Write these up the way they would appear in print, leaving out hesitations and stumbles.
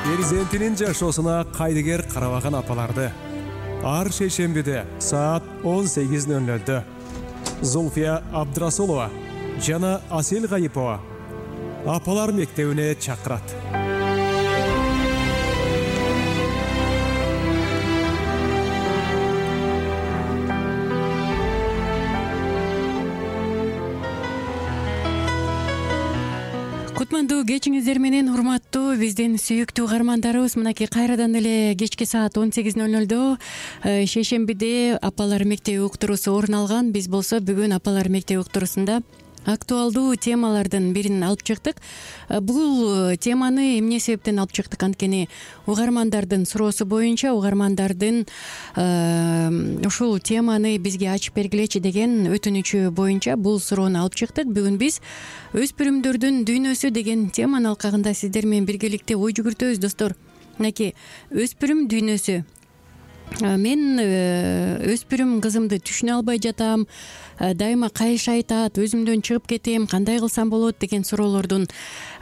Перзентинин жашоосуна кайдыгер карабаган апаларды ар шейшембиде саат 18:00 Зульфия Абдрасулова жана Асел Гайипова апалар мектебине чакырат. Кутмандуу кечиңиздер менен урматтуу биздин сүйүктүү угармандарыбыз, мынакей кайрадан эле кечки саат 18:00 шейшембиде апалар мектеби уктуруусу орун алган. Биз болсо бүгүн апалар мектеби уктуруусунда актуалдуу темалардын бирин алып чыктык. Бул теманы эмне себептен алып чыктык? Анткени угармандардын суроосу боюнча угармандардын ушул теманы бизге ачып бергилечи деген өтүнүчү боюнча бул суроону алып чыктык. Бүгүн биз өспүрүмдөрдүн дүйнөсү деген теманын алкагында сиздер менен биргеликте ой жүгүртөбүз, достор. Мынакей өспүрүм дүйнөсү. Мен өспүрүм кызымды түшүнө албай жатам, дайыма кайыш айтат, өзүмдөн чыгып кетем, кандай кылсам болот деген суроолордун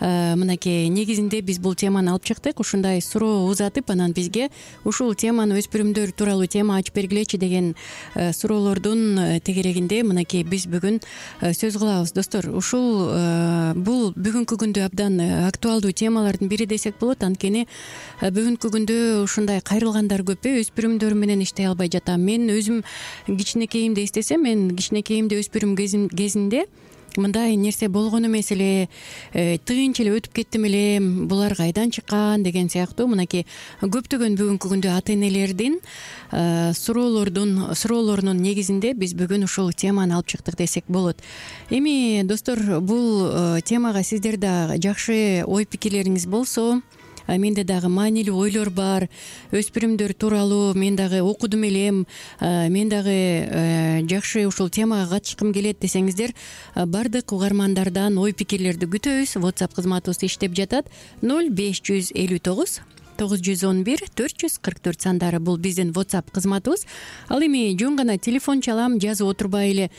мынакей негизинде биз бул теманы алып чыктык. Ушундай суроо узатып, анан бизге ушул теманы өспүрүмдөр тууралуу тема ачып бергилечи деген суроолордун тегерегинде мынакей биз бүгүн сөз кылабыз, достор. Ушул бул бүгүнкү күндө абдан актуалдуу темалардын бири десек болот. Анткени бүгүнкү күндө ушундай кайрылгандар көп. Өспүрүмдөр менен иштей албай жатам. Мен өзүм кичинекейимди эстесем, мен кичинекейимде өспүрүм кезинде мындай нерсе болгон эмес эле, тыйынч эле өтүп кеттим эле, булар кайдан чыккан деген сыяктуу мынакей көптөгөн бүгүнкү күндө ата энелердин суроолорунун негизинде биз бүгүн ушул теманы алып чыктык десек болот. Эми, достор, бул темага сиздер да жакшы ой пикирлериңиз болсо, менде дагы маанилүү ойлор бар. Өспүрүмдөр тууралуу мен дагы окудум элем, мен дагы жакшы ушул темага катышкым келет десеңиздер, бардык угармандардан ой пикирлерди күтөбүз. WhatsApp кызматыбыз иштеп жатат. 0559 911 444 сандары бул биздин WhatsApp кызматыбыз. Ал эми жөн гана телефон чалам, жазып отурбай эле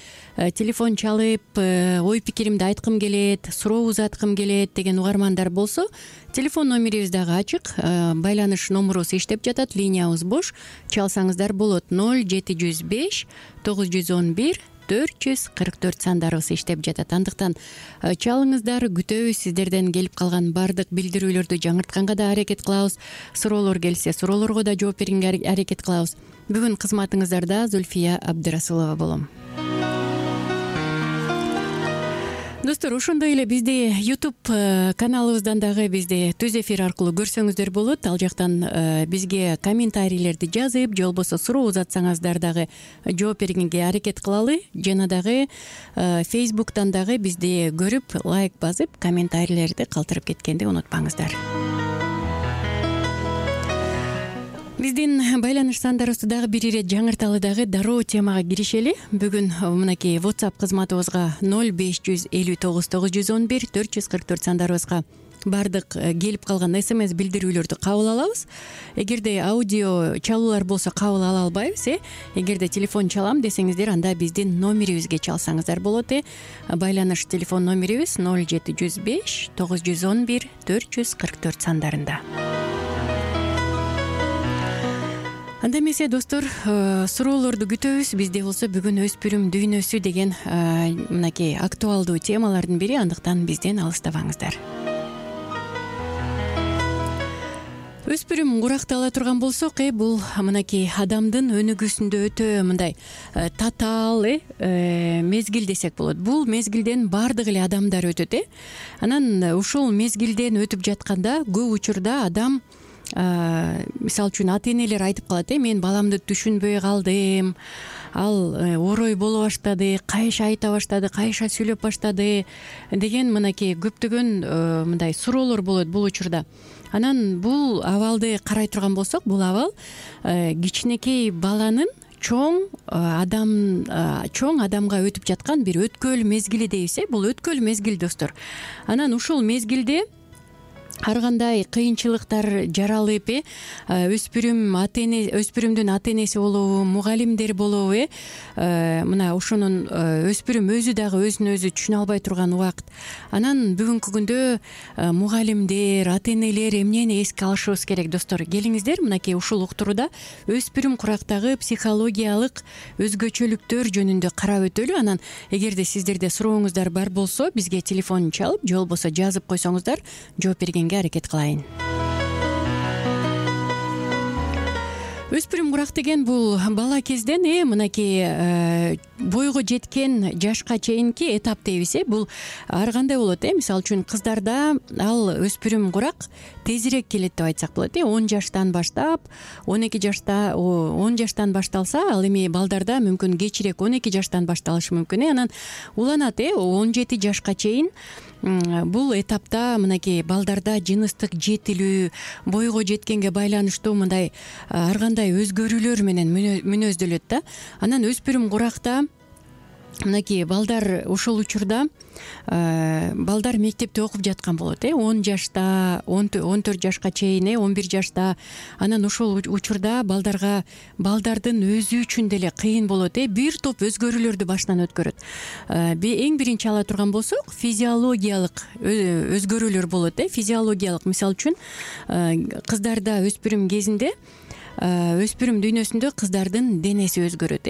телефон чалып ой пикиримди айткым келет, суроо узаткым келет деген угармандар болсо, телефон номерибиз дагы ачык, байланыш номерубуз иштеп жатат, линиябыз бош. Чалсаңыздар болот. 0705 911 444 сандарыбыз иштеп жатат. Андыктан чалыңыздар, күтөбүз. Сиздерден келип калган бардык билдирүүлөрдү жаңыртканга да аракет кылабыз. Суроолор келсе, суроолорго да жооп берүүгө аракет кылабыз. Бүгүн кызматыңыздарда Зульфия Абдрасулова болом. Достор, ошондой эле бизди YouTube каналыбыздан дагы бизди түз эфир аркылуу көрсөңүздөр болот. Ал жактан бизге комментарийлерди жазып, же болбосо суроо узатсаңыздар дагы жооп бергенге аракет кылалы. Жана дагы Facebook'тан дагы бизди көрүп, лайк басып, комментарийлерди калтырып кеткенди унутпаңыздар. Биздин байланыш сандарыбызды дагы бир ирет жаңырталы, дагы дароо темага киришели. Бүгүн мынакей WhatsApp кызматыбызга 0559 911 444 сандарыбызга бардык келип калган SMS билдирүүлөрдү кабыл алабыз. Эгерде аудио чалуулар болсо кабыл ала албайбыз. Эгерде телефон чалам десеңиздер, анда биздин номерибизге чалсаңыздар болот. Байланыш телефон номерибиз 0705 911 444 сандарында. Анда эмесе, достор, суроолорду күтөбүз. Бизде болсо бүгүн өспүрүм дүйнөсү деген мынакей актуалдуу темалардын бири. Андыктан бизден алыстабаңыздар. Өспүрүм курактала турган болсок, бул мынакей адамдын өнүгүүсүндө өтө мындай татаал мезгил десек болот. Бул мезгилден бардык эле адамдар өтөт. Анан ушул мезгилден өтүп жатканда көп учурда адам, мисалы үчүн ата энелер айтып калат, мен баламды түшүнбөй калдым, ал орой боло баштады, кайша айта баштады, кайша сүйлөп баштады деген мынакей көптөгөн мындай суроолор болот бул учурда. Анан бул абалды карай турган болсок, бул абал кичинекей баланын чоң адамга өтүп жаткан бир өткөл мезгили дейбиз. Бул өткөл мезгил, достор. Анан ушул мезгилде ар кандай кыйынчылыктар жаралып өспүрүмдүн ата энеси болобу, мугалимдер болобу мына ушунун өспүрүм өзү дагы өзүн өзү түшүнө албай турган убакыт. Анан бүгүнкү күндө мугалимдер, ата энелер эмнени эске алышыбыз керек достор? Келиңиздер мынакей ушул уктурууда өспүрүм курактагы психологиялык өзгөчөлүктөр жөнүндө карап өтөлү. Анан эгерде сиздерде сурооңуздар бар болсо бизге телефон чалып же болбосо жазып койсоңуздар жооп бергенге аракет кылайын. Өспүрүм курак деген бул бала кезден мынакей бойго жеткен жашка чейинки этап дейбиз. Бул ар кандай болот. Мисалы үчүн кыздарда ал өспүрүм курак тезирээк келет деп айтсак болот. 10 жаштан баштап 12 жашта 10 жаштан башталса, ал эми балдарда мүмкүн кечирээк 12 жаштан башталышы мүмкүн. Анан уланат 17 жашка чейин. Бул этапта мынакей балдарда жыныстык жетилүү, бойго жеткенге байланыштуу мындай ар кандай өзгөрүүлөр менен мүнөздөлөт да. Анан өспүрүм куракта мынакей балдар ушул учурда балдар мектепте окуп жаткан болот. 10 жашта, 14 жашка чейин, 11 жашта. Анан ушул учурда балдардын өзү үчүн деле кыйын болот. Бир топ өзгөрүүлөрдү башынан өткөрөт. Эң биринчи ала турган болсок, физиологиялык өзгөрүүлөр болот. Физиологиялык, мисалы үчүн кыздарда өспүрүм кезинде өспүрүм дүйнөсүндө кыздардын денеси өзгөрөт,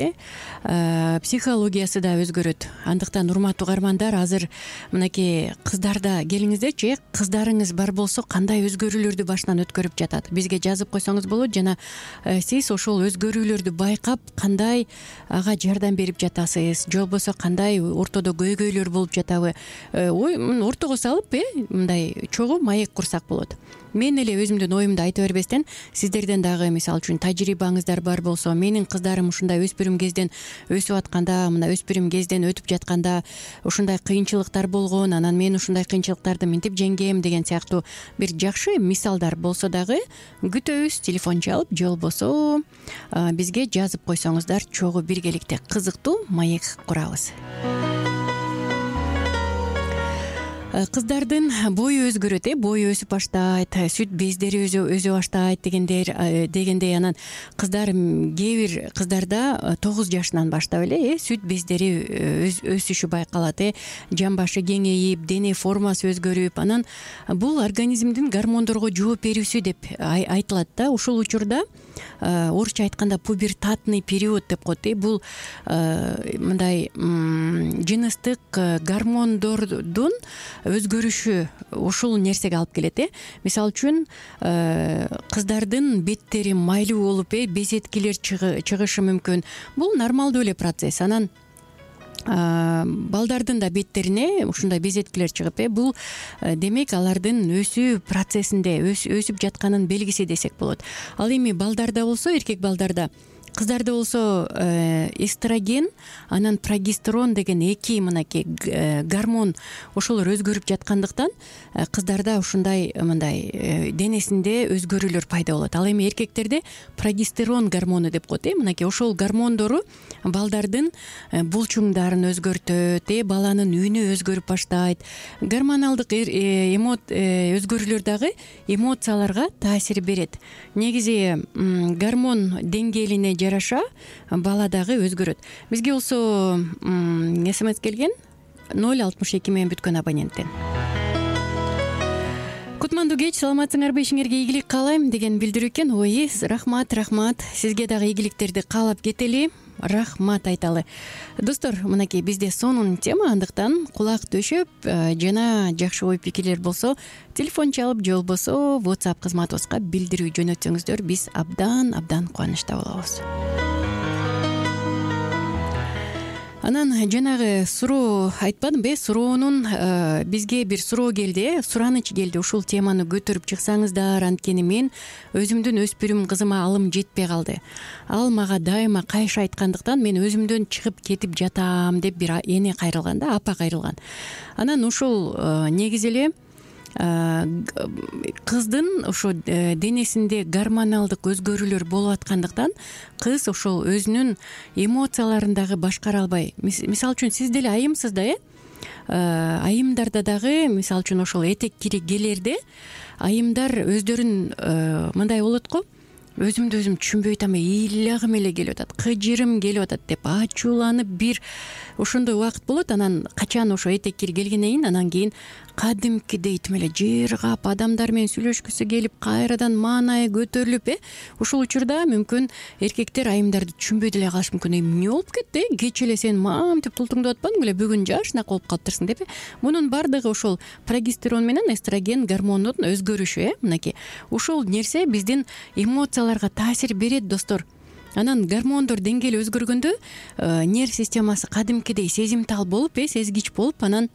психологиясы да өзгөрөт. Андыктан урматтуу угармандар, азыр мынакей кыздарда келиңиздерчи, кыздарыңыз бар болсо кандай өзгөрүүлөрдү башынан өткөрүп жатат? Бизге жазып койсоңуз болот жана сиз ошол өзгөрүүлөрдү байкап кандай ага жардам берип жатасыз, же болбосо кандай ортодо көйгөйлөр болуп жатабы? Ортого салып мындай чогуу маек курсак болот. Мен эле өзүмдүн оюмду айта бербестен, сиздерден дагы мисалы үчүн тажрыйбаңыздар бар болсо, менин кыздарым ушундай өспүрүм кезден өсүп атканда, мына өспүрүм кезден өтүп жатканда ушундай кыйынчылыктар болгон, анан мен ушундай кыйынчылыктарды минтип жеңгем деген сыяктуу бир жакшы мисалдар болсо дагы күтөбүз. Телефон чалып же болбосо бизге жазып койсоңуздар чогуу биргеликте кызыктуу маек курабыз. Кыздардын бою өзгөрөт, бою өсүп баштайт, сүт бездери өзө баштайт дегендей. Анан кээ бир кыздарда 9 жашынан баштап эле сүт бездери өсүшү байкалат, жамбашы кеңейип, дене формасы өзгөрүп, анан бул организмдин гормондорго жооп берүүсү деп айтылат да. Ушул учурда орусча айтканда пубертатный период деп коет. Бул мындай жыныстык гормондордун өзгөрүшү ушул нерсеге алып келет. Мисалы үчүн кыздардын беттери майлуу болуп, безеткилер чыгышы мүмкүн. Бул нормалдуу эле процесс. Анан балдардын да беттерине ушундай безеткилер чыгып, бул демек алардын өсүү процессинде өсүп жатканын белгиси десек болот. Ал эми балдарда болсо, эркек балдарда, кыздарда болсо эстроген, анан прогестерон деген эки мынакей гормон ошолор өзгөрүп жаткандыктан кыздарда ушундай мындай денесинде өзгөрүүлөр пайда болот. Ал эми эркектерде прогестерон гормону деп коет. Мынакей ошол гормондору балдардын булчуңдарын өзгөртөт, баланын үнү өзгөрүп баштайт. Гормоналдык өзгөрүүлөр дагы эмоцияларга таасир берет. Негизи гормон деңгээлине жараша бала дагы өзгөрөт. Бизге болсо СМС келген 062 менен бүткөн абоненттен. Кутмандуу кеч, саламатсыңарбы, ишиңерге ийгилик каалайм деген билдирүү экен. Ой, рахмат. Сизге дагы ийгиликтерди каалап кетели. Рахмат айталы. Достор, мынакей бизде сонун тема, андыктан кулак төшөп жана жакшы ой пикирлер болсо телефон чалып же болбосо WhatsApp кызматыбызга билдирүү жөнөтсөңүздөр биз абдан кубанычта болобуз. Анан жанагы суроо айтпадымбы, суроонун бизге бир суроо келди, сураныч келди. Ушул теманы көтөрүп чыксаңыздар, анткени мен өзүмдүн өспүрүм кызыма алым жетпей калды. Ал мага дайыма кайшы айткандыктан мен өзүмдөн чыгып кетип жатам деп бир эне кайрылган да, апа кайрылган. Анан ушул негизи эле кыздын ошо денесинде гормоналдык өзгөрүүлөр болуп аткандыктан кыз ошол өзүнүн эмоцияларын дагы башкара албай, мисалы үчүн сиз деле айымсыз да, айымдарда дагы мисалы үчүн ошол этек кири келерде айымдар өздөрүн мындай болот го, өзүмдү өзүм түшүнбөй атам, ыйлагым эле келип атат, кыжырым келип атат деп ачууланып бир ошондой убакыт болот. Анан качан ошо этек кири келгенден кийин анан кийин кадимкидей тим эле жыргап адамдар менен сүйлөшкүсү келип кайрадан маанайы көтөрүлүп ошол учурда мүмкүн эркектер айымдарды түшүнбөй деле калышы мүмкүн. Эмне болуп кетти, кечээ эле сен мамтип тултуңдап атпадың беле, бүгүн жашынаак болуп калыптырсың деп. Мунун баардыгы ошол прогестерон менен эстроген гормондун өзгөрүшү. Мынакей ушул нерсе биздин эмоцияларга таасир берет достор. Анан гормондор деңгээли өзгөргөндө нерв системасы кадимкидей сезимтал болуп, сезгич болуп, анан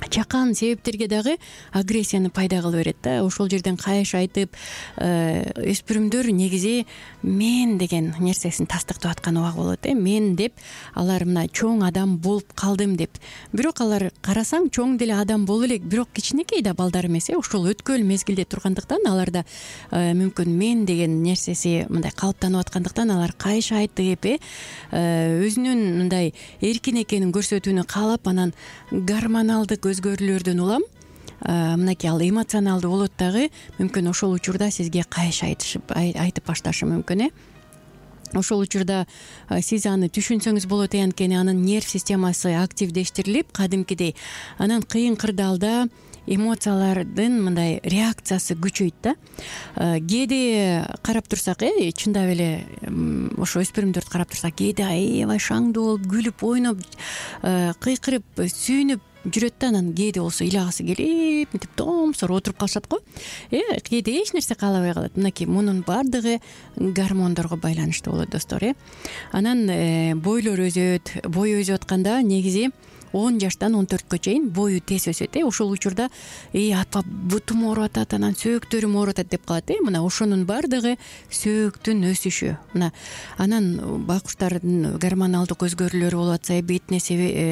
чакан себептерге дагы агрессияны пайда кыла берет да. Ошол жерден кайыш айтып, өспүрүмдөр негизи мен деген нерсесин тастыктап аткан убак болот. Мен деп алар мына чоң адам болуп калдым деп. Бирок алар карасаң чоң деле адам болуп элек, бирок кичинекей да балдар эмес. Ошол өткөл мезгилде тургандыктан аларда мүмкүн мен деген нерсеси мындай калыптанып аткандыктан алар кайыш айтып, өзүнүн мындай эркин экенин көрсөтүүнү каалап, анан гормоналдык өзгөрүүлөрдөн улам мынакей ал эмоционалдуу болот дагы, мүмкүн ошол учурда сизге кайыш айтып башташы мүмкүн. Ошол учурда сиз аны түшүнсөңүз болот. Анткени анын нерв системасы активдештирилип, кадимкидей анан кыйын кырдаалда эмоциялардын мындай реакциясы күчөйт да. Кээде карап турсак, чындап эле ошо өспүрүмдөрдү карап турсак, кээде аябай шаңдуу болуп, күлүп, ойноп, кыйкырып, сүйүнүп жүрөт да, анан кээде болсо ыйлагысы келип, мынтип томсор отуруп калышат го. Кээде эч нерсе каалабай калат. Мынакей мунун баардыгы гормондорго байланыштуу болот достор. Анан бойлор өзөт. Бой өсүп атканда негизи 10 жаштан 14кө чейин бою тез өсөт. Ошол учурда атпа бутум ооруп атат, анан сөөктөрүм ооруп атат деп калат. Мына ошонун баардыгы сөөктүн өсүшү. Мына анан байкуштардын гормоналдык өзгөрүүлөрү болуп атса, бетине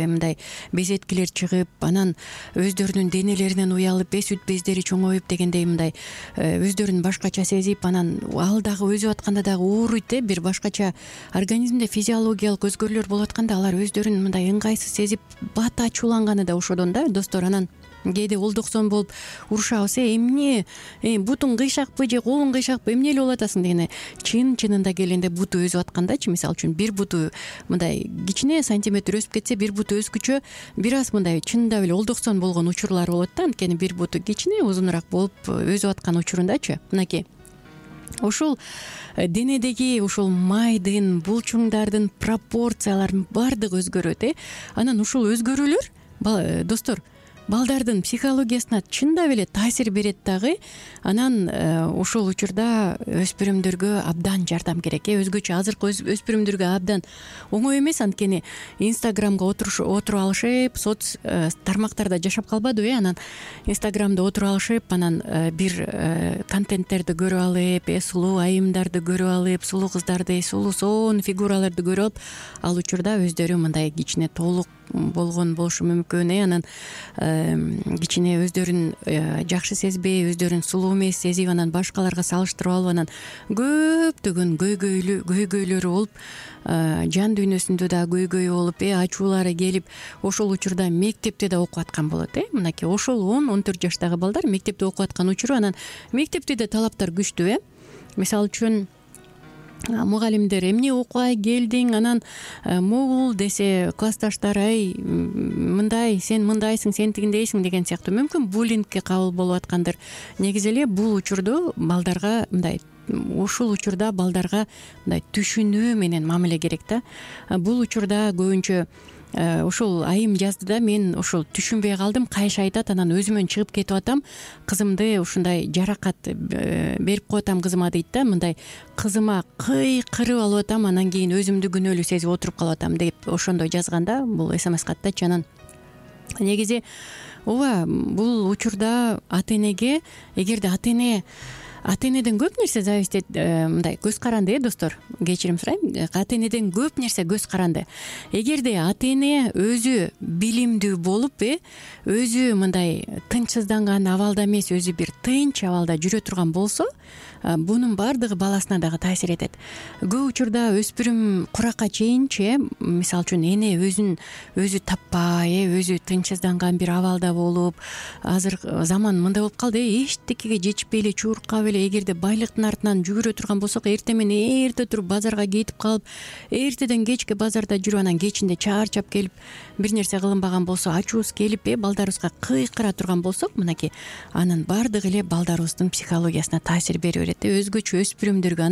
мындай безеткилер чыгып, анан өздөрүнүн денелеринен уялып, сүт бездери чоңоюп дегендей мындай өздөрүн башкача сезип, анан ал дагы өсүп атканда дагы ооруйт. Бир башкача организмде физиологиялык өзгөрүүлөр болуп атканда алар өздөрүн мындай ыңгайсыз сезип, бат ачууланганы да ошодон да достор. Анан кээде олдоксон болуп урушабыз, эмне бутуң кыйшакпы же колуң кыйшакпы, эмне эле болуп атасың дегенде, чынында келгенде буту өсүп аткандачы, мисалы үчүн бир буту мындай кичине сантиметр өсүп кетсе, бир буту өскүчө бир аз мындай чындап эле олдоксон болгон учурлар болот да. Анткени бир буту кичине узунураак болуп өсүп аткан учурундачы, мынакей ошол денедеги ушул майдын, булчуңдардын пропорцияларынын баардыгы өзгөрөт. Анан ушул өзгөрүүлөр достор балдардын психологиясына чындап эле таасир берет дагы. Анан ошол учурда өспүрүмдөргө абдан жардам керек. Өзгөчө азыркы өспүрүмдөргө абдан оңой эмес, анткени инстаграмга отуруп алышып, соц тармактарда жашап калбадыбы. Анан инстаграмда отуруп алышып, анан бир контенттерди көрүп алып, сулуу айымдарды көрүп алып, сулуу кыздарды, сулуу сонун фигураларды көрүп алып, ал учурда өздөрү мындай кичине толук болгон болушу мүмкүн. Анан кичине өздөрүн жакшы сезбей, өздөрүн сулуу эмес сезип, анан башкаларга салыштырып алып, анан көптөгөн көйгөйлөрү болуп, жан дүйнөсүндө да көйгөй болуп, ачуулары келип, ошол учурда мектепте да окуп аткан болот. Мынакей ошол 10-14 жаштагы балдар мектепте окуп аткан учуру, анан мектепте да талаптар күчтүү. Мисалы үчүн мугалимдер эмне окубай келдиң, анан могул десе классташтар мындай, сен мындайсың, сен тигиндейсиң деген сыяктуу мүмкүн буллингке кабыл болуп аткандыр. Негизи эле бул учурда балдарга мындай түшүнүү менен мамиле керек да. Бул учурда көбүнчө ошол айым жазды да, мен ошол түшүнбөй калдым, кайыш айтат, анан өзүмөн чыгып кетип атам, кызымды ушундай жаракат берип коетам кызыма дейт да. Мындай кызыма кыйкырып алып атам, анан кийин өзүмдү күнөөлүү сезип отуруп калып атам деп ошондой жазганда бул СМС каттачы. Анан негизи ооба бул учурда ата энеге, эгерде ата эне ата энеден көп нерсе зависить мындай көз каранды достор, кечирим сурайм, ата энеден көп нерсе көз каранды. Эгерде ата эне өзү билимдүү болуп өзү мындай тынчсызданган абалда эмес, өзү бир тынч абалда жүрө турган болсо, бунун баардыгы баласына дагы таасир этет. Көп учурда өспүрүм куракка чейинчи, мисалы үчүн эне өзү таппай, өзү тынчсызданган бир абалда болуп, азыр заман мындай болуп калды, эчтекеге жетишпей эле, чуркап эле, эгерде байлыктын артынан жүгүрө турган болсок, эртең менен эрте туруп базарга кетип калып, эртеден кечке базарда жүрүп, анан кечинде чарчап келип, бир нерсе кылынбаган болсо ачуубуз келип, балдарыбызга кыйкыра турган болсок, мынакей анын баардыгы эле балдарыбыздын психологиясына таасир бере берет. Өзгөчө өспүрүмдөргө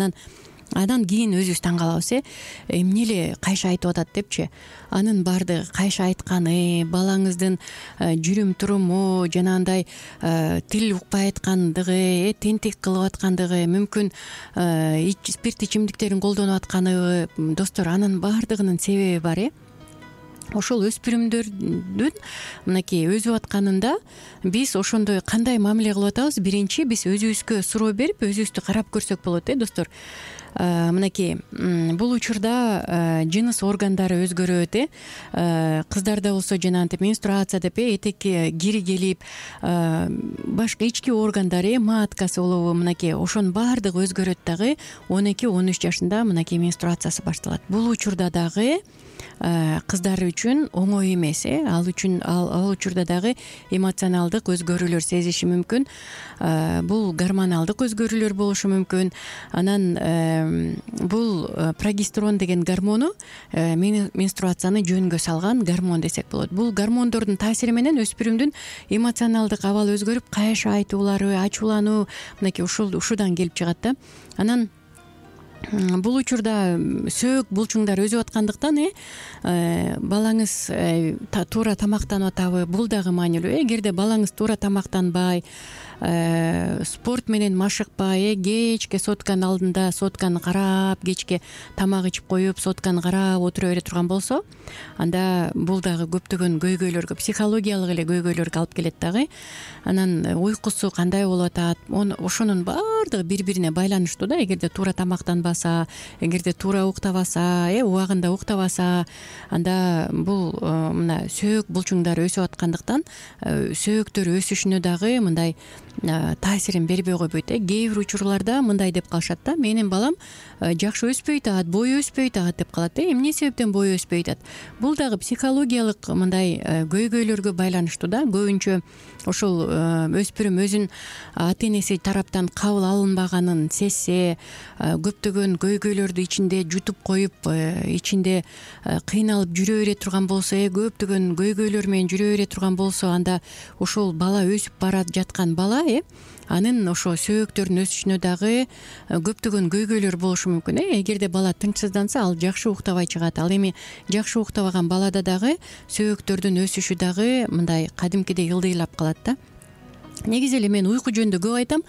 анан кийин өзүбүз таң калабыз, эмне эле кайша айтып атат депчи. Анын баардыгы кайша айтканы, балаңыздын жүрүм туруму, жанагындай тил укпай айткандыгы, тентек кылып аткандыгы, мүмкүн спирт ичимдиктерин колдонуп атканы, достор, анын баардыгынын себеби бар. Ошол өспүрүмдөрдүн мынакей өзүп атканында биз ошондой кандай мамиле кылып атабыз? Биринчи, биз өзүбүзгө суроо берип, өзүбүздү карап көрсөк болот, достор. Мынакей бул учурда жыныс органдары өзгөрөт. Кыздарда болсо жанагынтип менструация деп этекке кири келип, башка ички органдар, маткасы болобу, мынакей ошонун баардыгы өзгөрөт дагы. 12-13 жашында мынакей менструациясы башталат. Бул учурда дагы кыздар үчүн оңой эмес. Ал учурда дагы эмоционалдык өзгөрүүлөр сезиши мүмкүн. Бул гормоналдык өзгөрүүлөр болушу мүмкүн. Анан бул прогестерон деген гормону менструацияны жөнгө салган гормон десек болот. Бул гормондордун таасири менен өспүрүмдүн эмоционалдык абалы өзгөрүп, кайша айтуулары, ачуулануу мынакей ушудан келип чыгат да. Анан бул учурда сөөк булчуңдар өзүп аткандыктан балаңыз туура тамактанып атабы, бул дагы маанилүү. Эгерде балаңыз туура тамактанбай, спорт менен машыкпай, кечке сотканын алдында сотканы карап, кечке тамак ичип коюп, сотканы карап отура бере турган болсо, анда бул дагы көптөгөн көйгөйлөргө, психологиялык эле көйгөйлөргө алып келет дагы. Анан уйкусу кандай болуп атат, ошонун баардыгы бири-бирине байланыштуу да. Эгерде туура тамактанбаса, эгерде туура уктабаса, убагында уктабаса, анда бул мына сөөк булчуңдары өсүп аткандыктан сөөктөр өсүшүнө дагы мындай таасирин бербей койбойт. Кээ бир учурларда мындай деп калышат да: менин балам жакшы өспөй атат, бою өспөй атат деп калат. Эмне себептен бою өспөй атат? Бул дагы психологиялык мындай көйгөйлөргө байланыштуу да. Көбүнчө ошол өспүрүм өзүн ата энеси тараптан кабыл алынбаганын сезсе, көптөгөн көйгөйлөрдү ичинде жутуп коюп, ичинде кыйналып жүрө бере турган болсо, көптөгөн көйгөйлөр менен жүрө бере турган болсо, анда ошол бала өсүп бара жаткан бала анын ошо сөөктөрүнүн өсүшүнө дагы көптөгөн көйгөйлөр болушу мүмкүн. Эгерде бала тынчсызданса, ал жакшы уктабай чыгат. Ал эми жакшы уктабаган балада дагы сөөктөрдүн өсүшү дагы мындай кадимкидей ылдыйлап калат да. Негизи эле мен уйку жөнүндө көп айтам.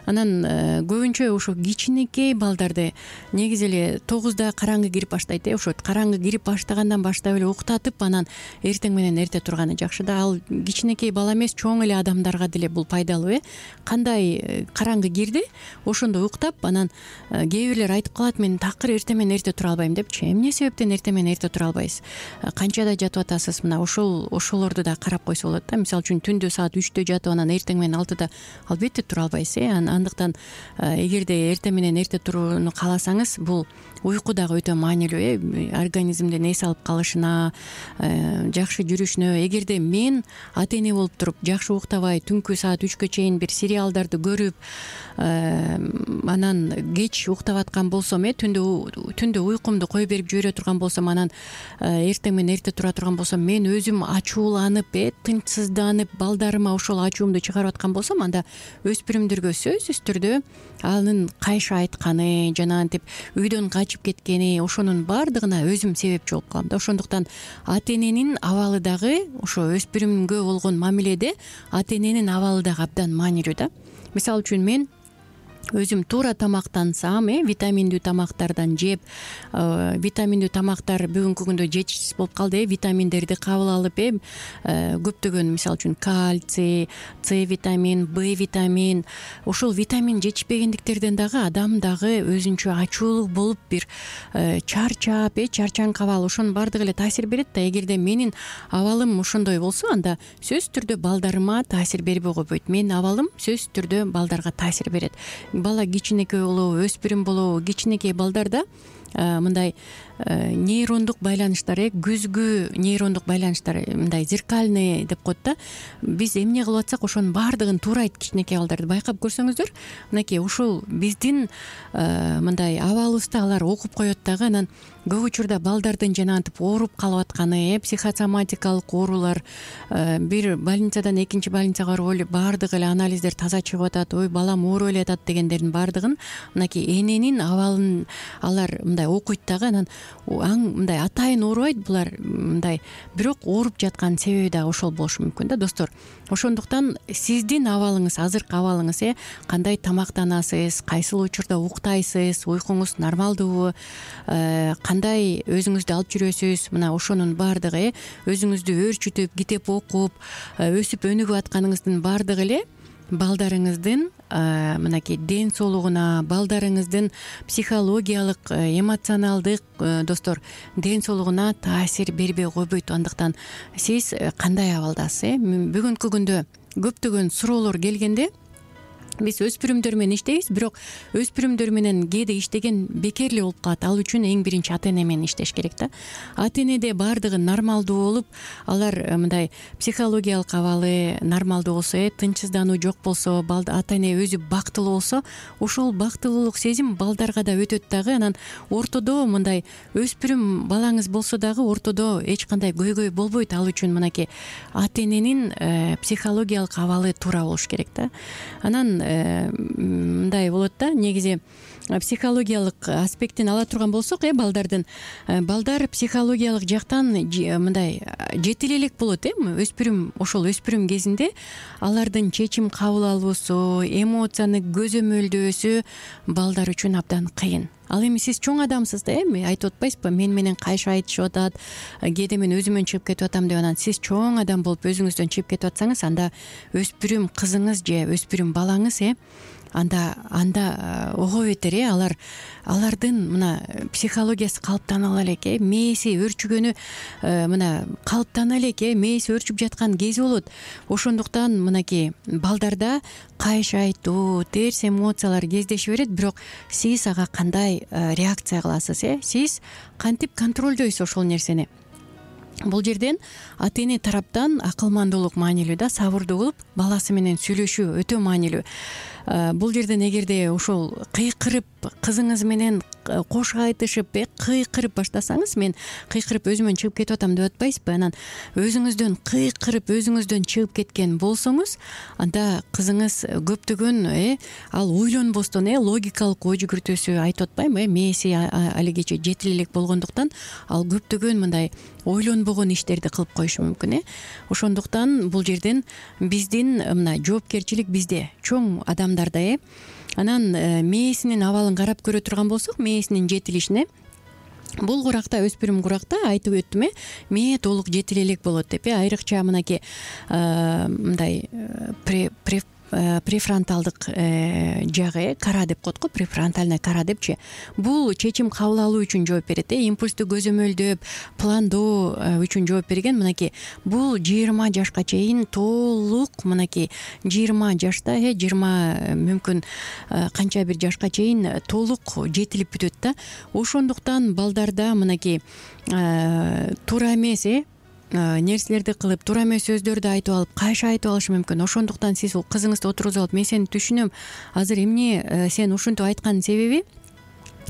Анан көбүнчө ошо кичинекей балдарды негизи эле 9да караңгы кирип баштайт. Ошо караңгы кирип баштагандан баштап эле уктатып, анан эртең менен эрте турганы жакшы да. Ал кичинекей бала эмес, чоң эле адамдарга деле бул пайдалуу. Кандай караңгы кирди, ошондо уктап, анан кээ бирлер айтып калат: мен такыр эртең менен эрте тура албайм депчи. Эмне себептен эртең менен эрте тура албайсыз? Канчада жатып атасыз? Мына ошолорду да карап койсо болот да. Мисалы үчүн түндө саат 3-тө жатып, анан эртең менен 6-да албетте тура албайсыз. Андыктан эгерде эртең менен эрте турууну кааласаңыз, бул уйку дагы өтө маанилүү. Организмдин эс алып калышына, жакшы жүрүшүнө. Эгерде мен ата эне болуп туруп жакшы уктабай, түнкү саат 3кө чейин бир сериалдарды көрүп, анан кеч уктап аткан болсом, түндө уйкумду кое берип жибере турган болсом, анан эртең менен эрте тура турган болсом, мен өзүм ачууланып, тынчсызданып, балдарыма ошол ачуумду чыгарып аткан болсом, анда өспүрүмдөргө сөзсүз түрдө анын кайша айтканы, жанагынтип үйдөн качып кеткени, ошонун баардыгына өзүм себепчи болуп калам да. Ошондуктан ата эненин абалы дагы, ошо өспүрүмгө болгон мамиледе ата эненин абалы дагы абдан маанилүү да. Мисалы үчүн мен өзүм туура тамактансам, витаминдүү тамактардан жеп, витаминдүү тамактар бүгүнкү күндө жетишсиз болуп калды. Витаминдерди кабыл алып, көптөгөн, мисалы үчүн кальций, С витамин, Б витамин, ошол витамин жетишпегендиктерден дагы адам дагы өзүнчө ачуулук болуп, бир чарчап, чарчаңк абал, ошонун баардыгы эле таасир берет да. Эгерде менин абалым ошондой болсо, анда сөзсүз түрдө балдарыма таасир бербей койбойт. Менин абалым сөзсүз түрдө балдарга таасир берет. Бала кичинекей болобу, өспүрүм болобу, кичинекей балдарда мындай нейрондук байланыштар, күзгү нейрондук байланыштар, мындай зеркальный деп коет да. Биз эмне кылып атсак, ошонун баардыгын туурайт кичинекей балдарды. Байкап көрсөңүздөр, мынакей ушул биздин мындай абалыбызды алар окуп коет дагы. Анан көп учурда балдардын жанагынтип ооруп калып атканы, психосоматикалык оорулар, бир больницадан экинчи больницага барып эле баардыгы эле анализдер таза чыгып атат, ой балам ооруп эле атат дегендердин баардыгын мынакей эненин абалын алар мындай окуйт дагы. Анан мындай атайын оорубайт булар, мындай бирок ооруп жаткан себеби дагы ошол болушу мүмкүн да, достор. Ошондуктан сиздин абалыңыз, азыркы абалыңыз, кандай тамактанасыз, кайсыл учурда уктайсыз, уйкуңуз нормалдуубу, кандай өзүңүздү алып жүрөсүз, мына ошонун баардыгы, өзүңүздү өөрчүтүп, китеп окуп, өсүп өнүгүп атканыңыздын баардыгы эле балдарыңыздын мынакей ден соолугуна, балдарыңыздын психологиялык, эмоционалдык, достор, ден соолугуна таасир бербей койбойт. Андыктан сиз кандай абалдасыз? Бүгүнкү күндө көптөгөн суроолор келгенде биз өспүрүмдөр менен иштейбиз, бирок өспүрүмдөр менен кээде иштеген бекер эле болуп калат. Ал үчүн эң биринчи ата эне менен иштеш керек да. Ата энеде баардыгы нормалдуу болуп, алар мындай психологиялык абалы нормалдуу болсо, тынчсыздануу жок болсо, ата эне өзү бактылуу болсо, ошол бактылуулук сезим балдарга да өтөт дагы. Анан ортодо мындай өспүрүм балаңыз болсо дагы ортодо эч кандай көйгөй болбойт. Ал үчүн мынакей ата эненин психологиялык абалы туура болуш керек да. Анан мындай болот да, негизи психологиялык аспектин ала турган болсок, балдардын, балдар психологиялык жактан мындай жетил элек болот. Ошол өспүрүм кезинде алардын чечим кабыл алуусу, эмоцияны көзөмөлдөөсү балдар үчүн абдан кыйын. Ал эми сиз чоң адамсыз да, айтып атпайсызбы, мен менен кайшы айтышып атат, кээде мен өзүмөн чыгып кетип атам деп. Анан сиз чоң адам болуп өзүңүздөн чыгып кетип атсаңыз, анда өспүрүм кызыңыз же өспүрүм балаңыз анда ого бетер алардын мына психологиясы калыптана элек, мээси өөрчүгөнү мына калыптана элек, мээси өөрчүп жаткан кези болот. Ошондуктан мынакей балдарда кайшы айтуу, терс эмоциялар кездеше берет, бирок сиз ага кандай реакция кыласыз, сиз кантип контролдойсуз ошол нерсени? Бул жерден ата эне тараптан акылмандуулук маанилүү да, сабырдуу болуп, баласы менен сүйлөшүү өтө маанилүү. Бул жерден эгерде ошол кыйкырып, кызыңыз менен кош айтышып, кыйкырып баштасаңыз, мен кыйкырып өзүмөн чыгып кетип атам деп атпайсызбы? Анан өзүңүздөн кыйкырып, өзүңүздөн чыгып кеткен болсоңуз, анда кызыңыз көптөгөн ал ойлонбостон логикалык ой жүгүртүүсү, айтып атпаймынбы, мээси алигече жетил элек болгондуктан ал көптөгөн мындай ойлонбогон иштерди кылып коюшу мүмкүн. Ошондуктан бул жерден биздин мына жоопкерчилик бизде, чоң адамдарда. Анан мээсинин абалын карап көрө турган болсок, мээсинин жетилишине, бул куракта, өспүрүм куракта айтып өттүм, мээ толук жетил элек болот деп. Айрыкча мынакей мындай префронталдык жагы, кара деп коет го, префронтальная кара депчи. Бул чечим кабыл алуу үчүн жооп берет, импульсту көзөмөлдөп, пландоо үчүн жооп берген. Мынакей бул 20 жашка чейин толук, мынакей 20 жашта, 20 мүмкүн канча бир жашка чейин толук жетилип бүтөт да. Ошондуктан балдарда мынакей туура эмес нерселерди кылып, туура эмес сөздөрдү айтып алып, кайшы айтып алышы мүмкүн. Ошондуктан сиз кызыңызды отургузуп алып, мен сени түшүнөм, азыр эмне сен ушинтип айтканын себеби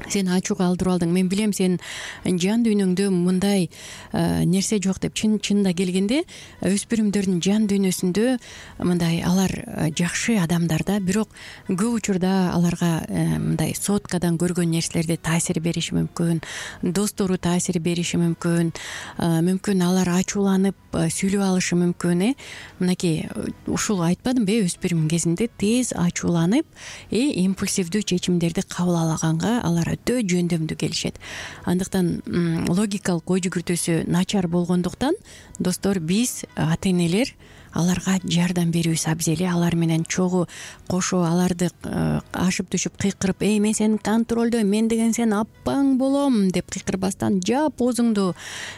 сени ачууга алдырып алдың, мен билем сенин жан дүйнөңдө мындай нерсе жок деп. Чынында келгенде өспүрүмдөрдүн жан дүйнөсүндө мындай алар жакшы адамдар да, бирок көп учурда аларга мындай соткадан көргөн нерселерди таасир бериши мүмкүн, достору таасир бериши мүмкүн, мүмкүн алар ачууланып сүйлөп алышы мүмкүн. Мынакей ушул айтпадымбы, өспүрүм кезинде тез ачууланып импульсивдүү чечимдерди кабыл алаганга алар өтө жөндөмдүү келишет. Андыктан логикалык ой жүгүртүүсү начар болгондуктан достор, биз ата-энелер аларга жардам берүүбүз абзел. Алар менен чогуу кошо аларды ашып түшүп кыйкырып, мен сени контролдойм, мен деген сенин апаң болом деп кыйкырбастан, жап оозуңду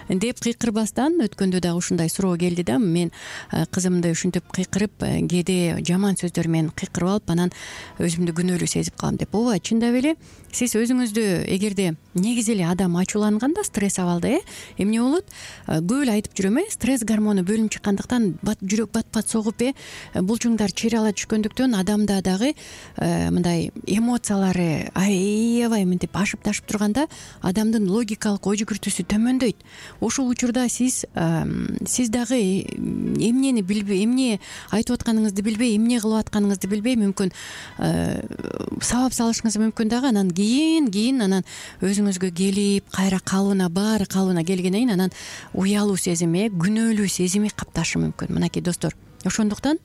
деп кыйкырбастан, өткөндө дагы ушундай суроо келди да, мен кызымды ушинтип кыйкырып, кээде жаман сөздөр менен кыйкырып алып, анан өзүмдү күнөөлүү сезип калам деп. Ооба, чындап эле сиз өзүңүздү эгерде негизи эле адам ачууланганда стресс абалда эмне болот? Көп эле айтып жүрөм, стресс гормону бөлүнүп чыккандыктан жүрөк бат-бат согуп, булчуңдар чыйрала түшкөндүктөн адамда дагы мындай эмоциялары аябай мынтип ашып ташып турганда адамдын логикалык ой жүгүртүүсү төмөндөйт. Ошол учурда сиз дагы эмнени билбей, эмне айтып атканыңызды билбей, эмне кылып атканыңызды билбей, мүмкүн сабап салышыңыз мүмкүн дагы. Анан кийин анан өзүңүзгө келип, кайра баары калыбына келгенден кийин анан уялуу сезим, күнөөлүү сезими капташы мүмкүн. Мынакей достор, ошондуктан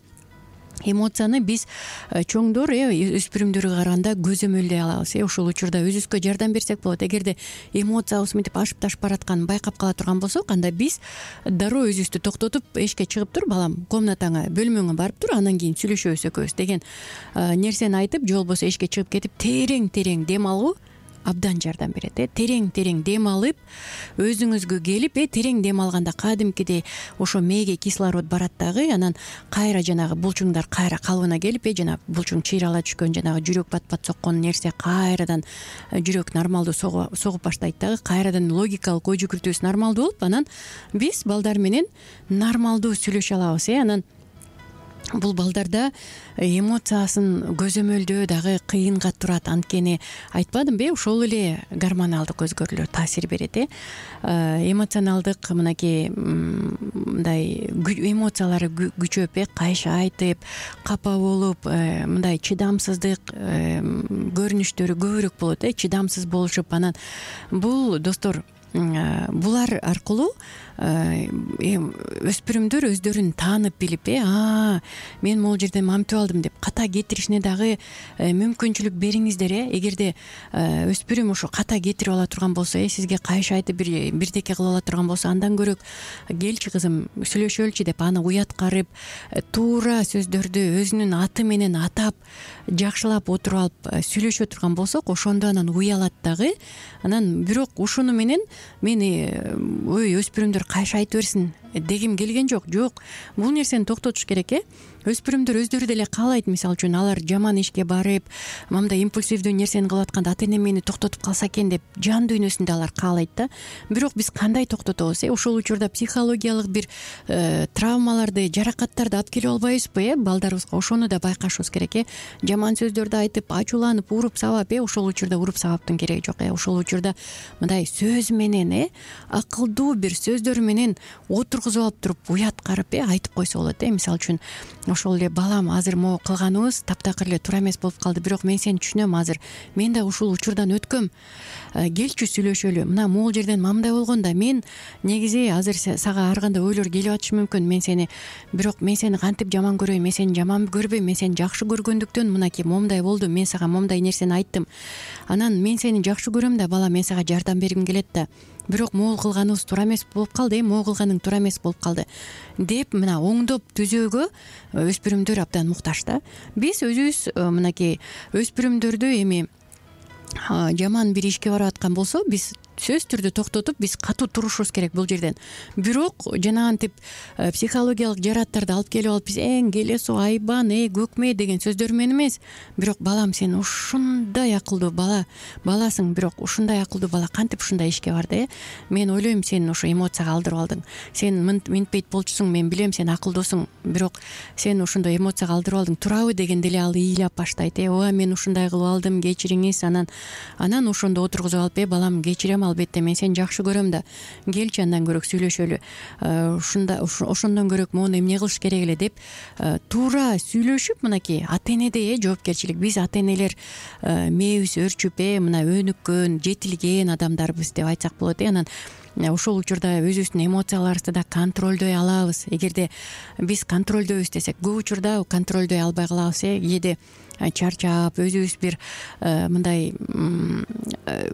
эмоцияны биз чоңдор өспүрүмдөргө караганда көзөмөлдөй алабыз. Ошол учурда өзүбүзгө жардам берсек болот. Эгерде эмоциябыз мынтип ашып ташып баратканын байкап кала турган болсок, анда биз дароо өзүбүздү токтотуп, эшикке чыгып тур, балам, комнатаңа, бөлмөңө барып тур, анан кийин сүйлөшөбүз экөөбүз деген нерсени айтып, же болбосо эшикке чыгып кетип терең дем алуу абдан жардам берет. Терең дем алып, өзүңүзгө келип, терең дем алганда кадимкидей ошо мээге кислород барат дагы, анан кайра жанагы булчуңдар кайра калыбына келип, жанагы булчуң чыйрала түшкөн, жанагы жүрөк бат-бат соккон нерсе кайрадан жүрөк нормалдуу согуп баштайт дагы, кайрадан логикалык ой жүгүртүүбүз нормалдуу болуп, анан биз балдар менен нормалдуу сүйлөшө алабыз. Анан бул балдарда эмоциясын көзөмөлдөө дагы кыйынга турат. Анткени айтпадымбы, ошол эле гормоналдык өзгөрүүлөр таасир берет. Эмоционалдык мынакей мындай эмоциялары күчөп, кайшы айтып, капа болуп, мындай чыдамсыздык көрүнүштөрү көбүрөөк болот. Чыдамсыз болушуп, анан бул достор, булар аркылуу өспүрүмдөр өздөрүн таанып билип, мен могул жерде мамтып алдым деп ката кетиришине дагы мүмкүнчүлүк бериңиздер. Эгерде өспүрүм ошо ката кетирип ала турган болсо, сизге кайшы айтып бирдеке кылып ала турган болсо, андан көрөк келчи кызым сүйлөшөлүчү деп аны уяткарып, туура сөздөрдү өзүнүн аты менен атап, жакшылап отуруп алып сүйлөшө турган болсок, ошондо анан уялат дагы. Анан бирок ушуну менен мени өспүрүмдөр кайшы айта берсин дегим келген жок. Бул нерсени токтотуш керек. Өспүрүмдөр өздөрү деле каалайт, мисалы үчүн алар жаман ишке барып, мындай импульсивдүү нерсени кылып атканда ата-энем мени токтотуп калса экен деп жан дүйнөсүндө алар каалайт да. Бирок биз кандай токтотобуз? Ошол учурда психологиялык бир травмаларды, жаракаттарды алып келип албайбызбы балдарыбызга? Ошону да байкашыбыз керек. Жаман сөздөрдү айтып, ачууланып, уруп сабап, ошол учурда уруп сабаптын кереги жок. Ошол учурда мындай сөз менен, акылдуу бир сөздөр менен отургузуп алып туруп, уяткарып айтып койсо болот. Мисалы үчүн, ошол эле балам, азыр могу кылганыбыз таптакыр эле туура эмес болуп калды, бирок мен сени түшүнөм, азыр мен да ушул учурдан өткөм, келчи сүйлөшөлү, мына могул жерден мындай болгон да, мен негизи азыр сага ар кандай ойлор келип атышы мүмкүн, бирок мен сени кантип жаман көрөйм, мен сени жаман көрбөйм, мен сени жакшы көргөндүктөн мынакей момундай болду, мен сага момундай нерсени айттым, анан мен сени жакшы көрөм да, бала, мен сага жардам бергим келет да, бирок могул кылганыбыз туура эмес болуп калды, могул кылганың туура эмес болуп калды деп, мына оңдоп түзөөгө өспүрүмдөр абдан муктаж да. Биз өзүбүз мынакей өспүрүмдөрдү эми жаман бир ишке барып аткан болсо, биз сөзсүз түрдө токтотуп биз катуу турушубуз керек бул жерден. Бирок жанагынтип психологиялык жарааттарды алып келип алып биз келесо айбан көкмө деген сөздөр менен эмес, бирок балам сен ушундай акылдуу баласың, бирок ушундай акылдуу бала кантип ушундай ишке барды? Мен ойлойм сен ошо эмоцияга алдырып алдың. Сен мынтпейт болчусуң, мен билем сен акылдуусуң, бирок сен ошондой эмоцияга алдырып алдың. Турабы дегенде эле ал ыйлап баштайт. Ооба мен ушундай кылып алдым, кечириңиз. Анан ошондо отургузуп алып, балам кечирем, албетте мен сени жакшы көрөм да. Келчи андан көрөк сүйлөшөлү. Ошондон көрөк моуну эмне кылыш керек эле деп туура сүйлөшүп, мынакей ата-энеде жоопкерчилик. Биз ата-энелер мээбиз өрчүп, мына өнүккөн, жетилген адамдарбыз деп айтсак болот. Анан ошол учурда өзүбүздүн эмоцияларыбызды да контролдой алабыз. Эгерде биз контролдойбуз десек, көп учурда контролдой албай калабыз. Кээде чарчап, өзүбүз бир мындай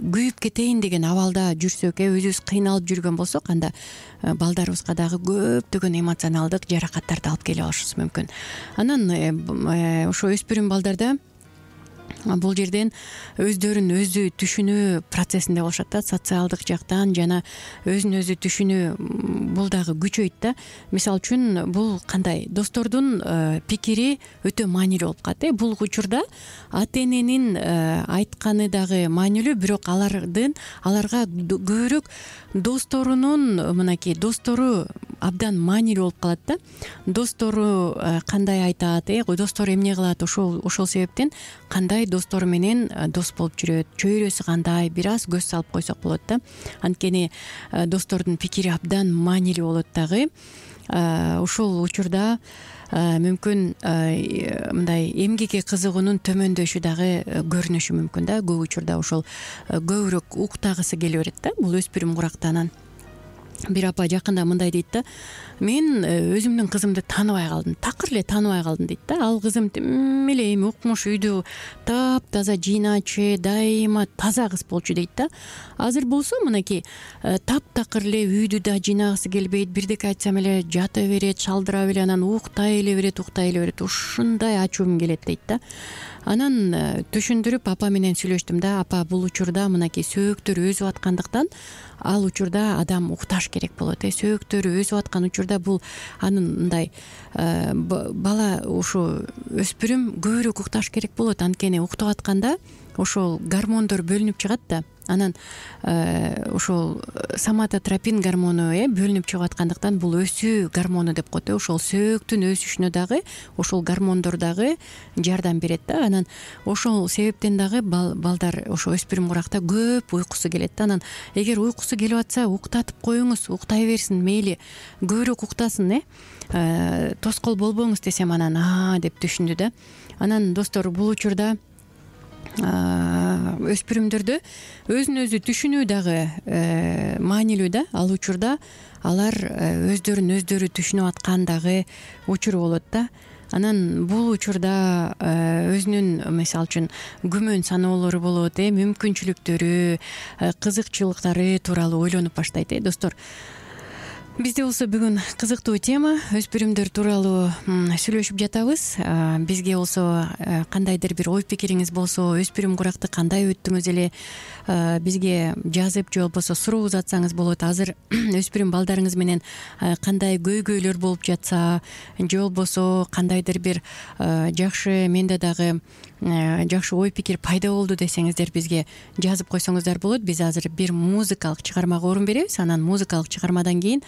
күйүп кетейин деген абалда жүрсөк, өзүбүз кыйналып жүргөн болсок, анда балдарыбызга дагы көптөгөн эмоционалдык жаракаттарды алып келип алышыбыз мүмкүн. Анан ошо өспүрүм балдарда бул жерден өздөрүн өзү түшүнүү процессинде болушат да, социалдык жактан жана өзүн өзү түшүнүү бул дагы күчөйт да. Мисалы үчүн бул кандай достордун пикири өтө маанилүү болуп калат. Бул учурда ата-эненин айтканы дагы маанилүү, бирок аларга көбүрөөк достору абдан маанилүү болуп калат да. Достору кандай айтат, достору эмне кылат, ошол себептен кандай достору менен дос болуп жүрөт, чөйрөсү кандай, бир аз көз салып койсок болот да. Анткени достордун пикири абдан маанилүү болот дагы. Ошол учурда мүмкүн мындай эмгекке кызыгуунун төмөндөшү дагы көрүнүшү мүмкүн да. Көп учурда ошол көбүрөөк уктагысы келе берет да, бул өспүрүм куракта. Анан бир апа жакында мындай дейт да: мен өзүмдүн кызымды тааныбай калдым, такыр эле тааныбай калдым дейт да. Ал кызым тим эле эми укмуш, үйдү таптаза жыйначу, дайыма таза кыз болчу дейт да. Азыр болсо мынакей таптакыр эле үйдү да жыйнагысы келбейт, бирдеке айтсам эле жата берет, шалдырап эле анан уктай эле берет. Ушундай ачуум келет дейт да. Анан түшүндүрүп апа менен сүйлөштүм да. Апа, бул учурда мынакей сөөктөр өзүп аткандыктан ал учурда адам укташ керек болот. Сөөктөрү өзүп аткан учурда бул анын мындай бала, ушу өспүрүм көбүрөөк укташ керек болот. Анткени уктап атканда ошол гормондор бөлүнүп чыгат да. Анан ошол соматотропин гормону бөлүнүп чыгып аткандыктан бул өсүү гормону деп коет. Ошол сөөктүн өсүшүнө дагы ошол гормондор дагы жардам берет да. Анан ошол себептен дагы балдар ошо өспүрүм куракта көп уйкусу келет да. Анан эгер уйкусу келип атса, уктатып коюңуз, уктай берсин, мейли көбүрөөк уктасын, тоскоол болбоңуз десем, анан деп түшүндү да. Анан достор, бул учурда өспүрүмдөрдө өзүн өзү түшүнүү дагы маанилүү да. Ал учурда алар өздөрүн өздөрү түшүнүп аткан дагы учур болот да. Анан бул учурда өзүнүн мисалы үчүн күмөн саноолору болот, мүмкүнчүлүктөрү, кызыкчылыктары тууралуу ойлонуп баштайт. Достор, бизде болсо бүгүн кызыктуу тема, өспүрүмдөр тууралуу сүйлөшүп жатабыз. Бизге болсо кандайдыр бир ой пикириңиз болсо, өспүрүм куракты кандай өттүңүз эле, бизге жазып же болбосо суроо узатсаңыз болот. Азыр өспүрүм балдарыңыз менен кандай көйгөйлөр болуп жатса, же болбосо кандайдыр бир жакшы, менде дагы жакшы ой пикир пайда болду десеңиздер, бизге жазып койсоңуздар болот. Биз азыр бир музыкалык чыгармага орун беребиз. Анан музыкалык чыгармадан кийин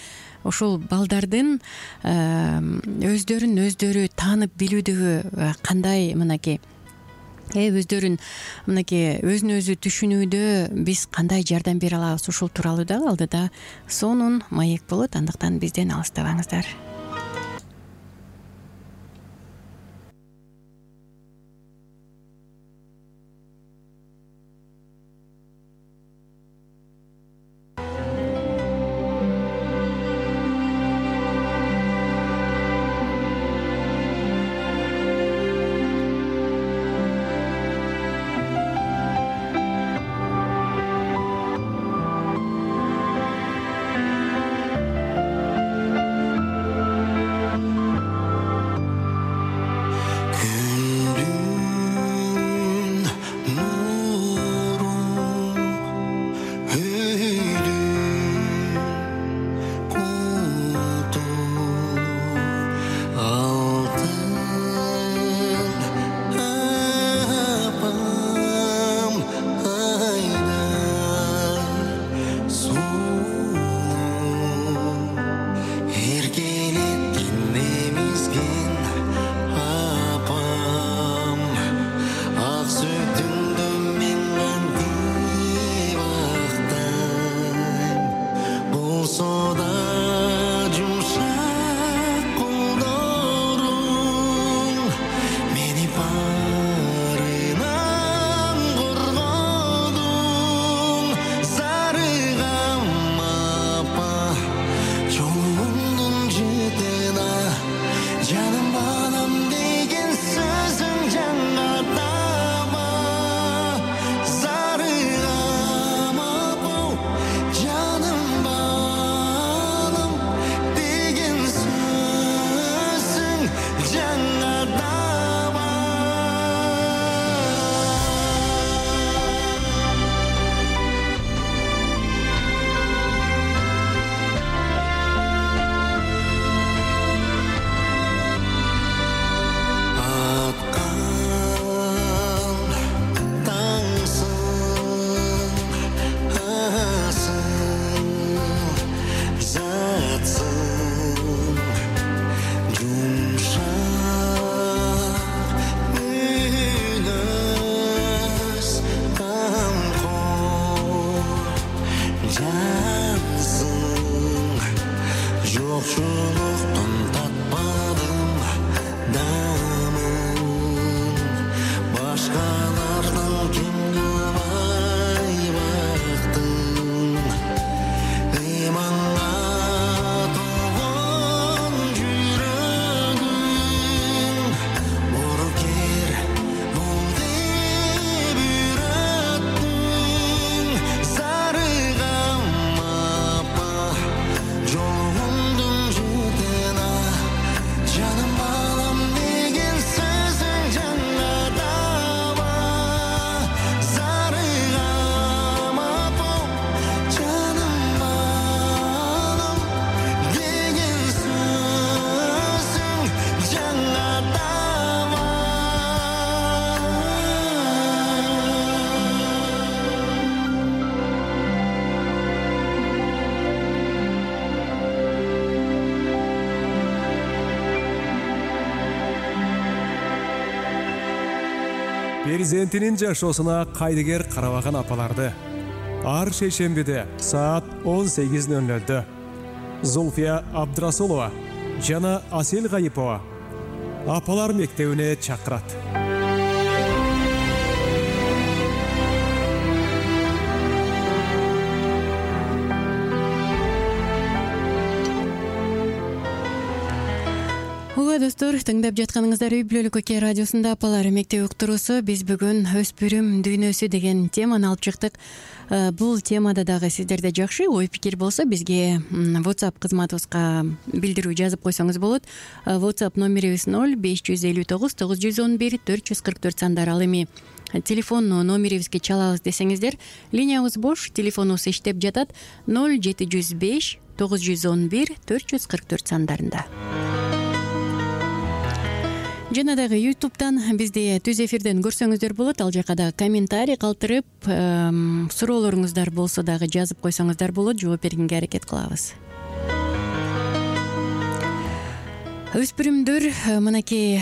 ошол балдардын өздөрүн өздөрү таанып билүүдөгү кандай мынакей өздөрүн мынакей өзүн өзү түшүнүүдө биз кандай жардам бере алабыз, ушул тууралуу дагы алдыда сонун маек болот. Андыктан бизден алыстабаңыздар. жансың жокчулуктун татпадым дамын башкалардан кем кылбай бактым ыйманга толгон жүрөгүм боркер болду бир аттың зарыгам апа жолуңдун жетена жаным балам деген сөзүң жаңа таба зарыгам апа жаным балам деген сөзүң жаңа таба. Перзентинин жашоосуна кайдыгер карабаган апаларды ар шейшембиде саат 18:00 Зулфия Абдрасулова жана Асел Гайипова апалар мектебине чакырат. Ооба достор, тыңдап жатканыңыздар Үй бүлөлүк Көке радиосунда апалар мектеби уктуруусу. Биз бүгүн өспүрүм дүйнөсү деген теманы алып чыктык. Бул темада дагы сиздерде жакшы ой пикир болсо бизге WhatsApp кызматыбызга билдирүү жазып койсоңуз болот. WhatsApp номерибиз 0559 911 444 сандар. Ал эми телефон номерибизге чалабыз десеңиздер, линиябыз бош, телефонубуз иштеп жатат 0705 911 444 сандарында. Жана дагы YouTube'дан бизди түз эфирден көрсөңүздөр болот. Ал жака дагы комментарий калтырып, суроолоруңуздар болсо дагы жазып койсоңуздар болот. Жооп бергенге аракет кылабыз. Өспүрүмдөр мынакей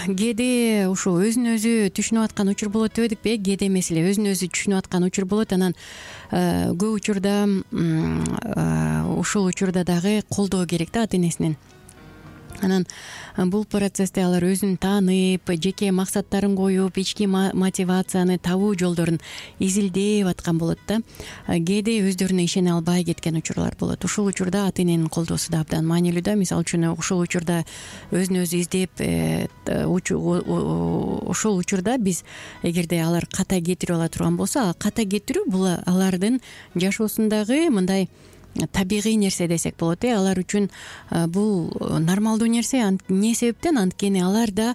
кээде ушу өзүн өзү түшүнүп аткан учур болот дебедикпи? Кээде эмес эле өзүн өзү түшүнүп аткан учур болот. Анан көп учурда ушул учурда дагы колдоо керек да ата энесинен. Анан бул процессте алар өзүн таанып, жеке максаттарын коюп, ички мотивацияны табуу жолдорун изилдеп аткан болот да. Кээде өздөрүнө ишене албай кеткен учурлар болот. Ушул учурда ата эненин колдоосу да абдан маанилүү да. Мисалы үчүн ушул учурда өзүн өзү издеп, ушул учурда биз эгерде алар ката кетирип ала турган болсо, ката кетирүү бул алардын жашоосундагы мындай табигый нерсе десек болот. Алар үчүн бул нормалдуу нерсе. Эмне себептен? Анткени аларда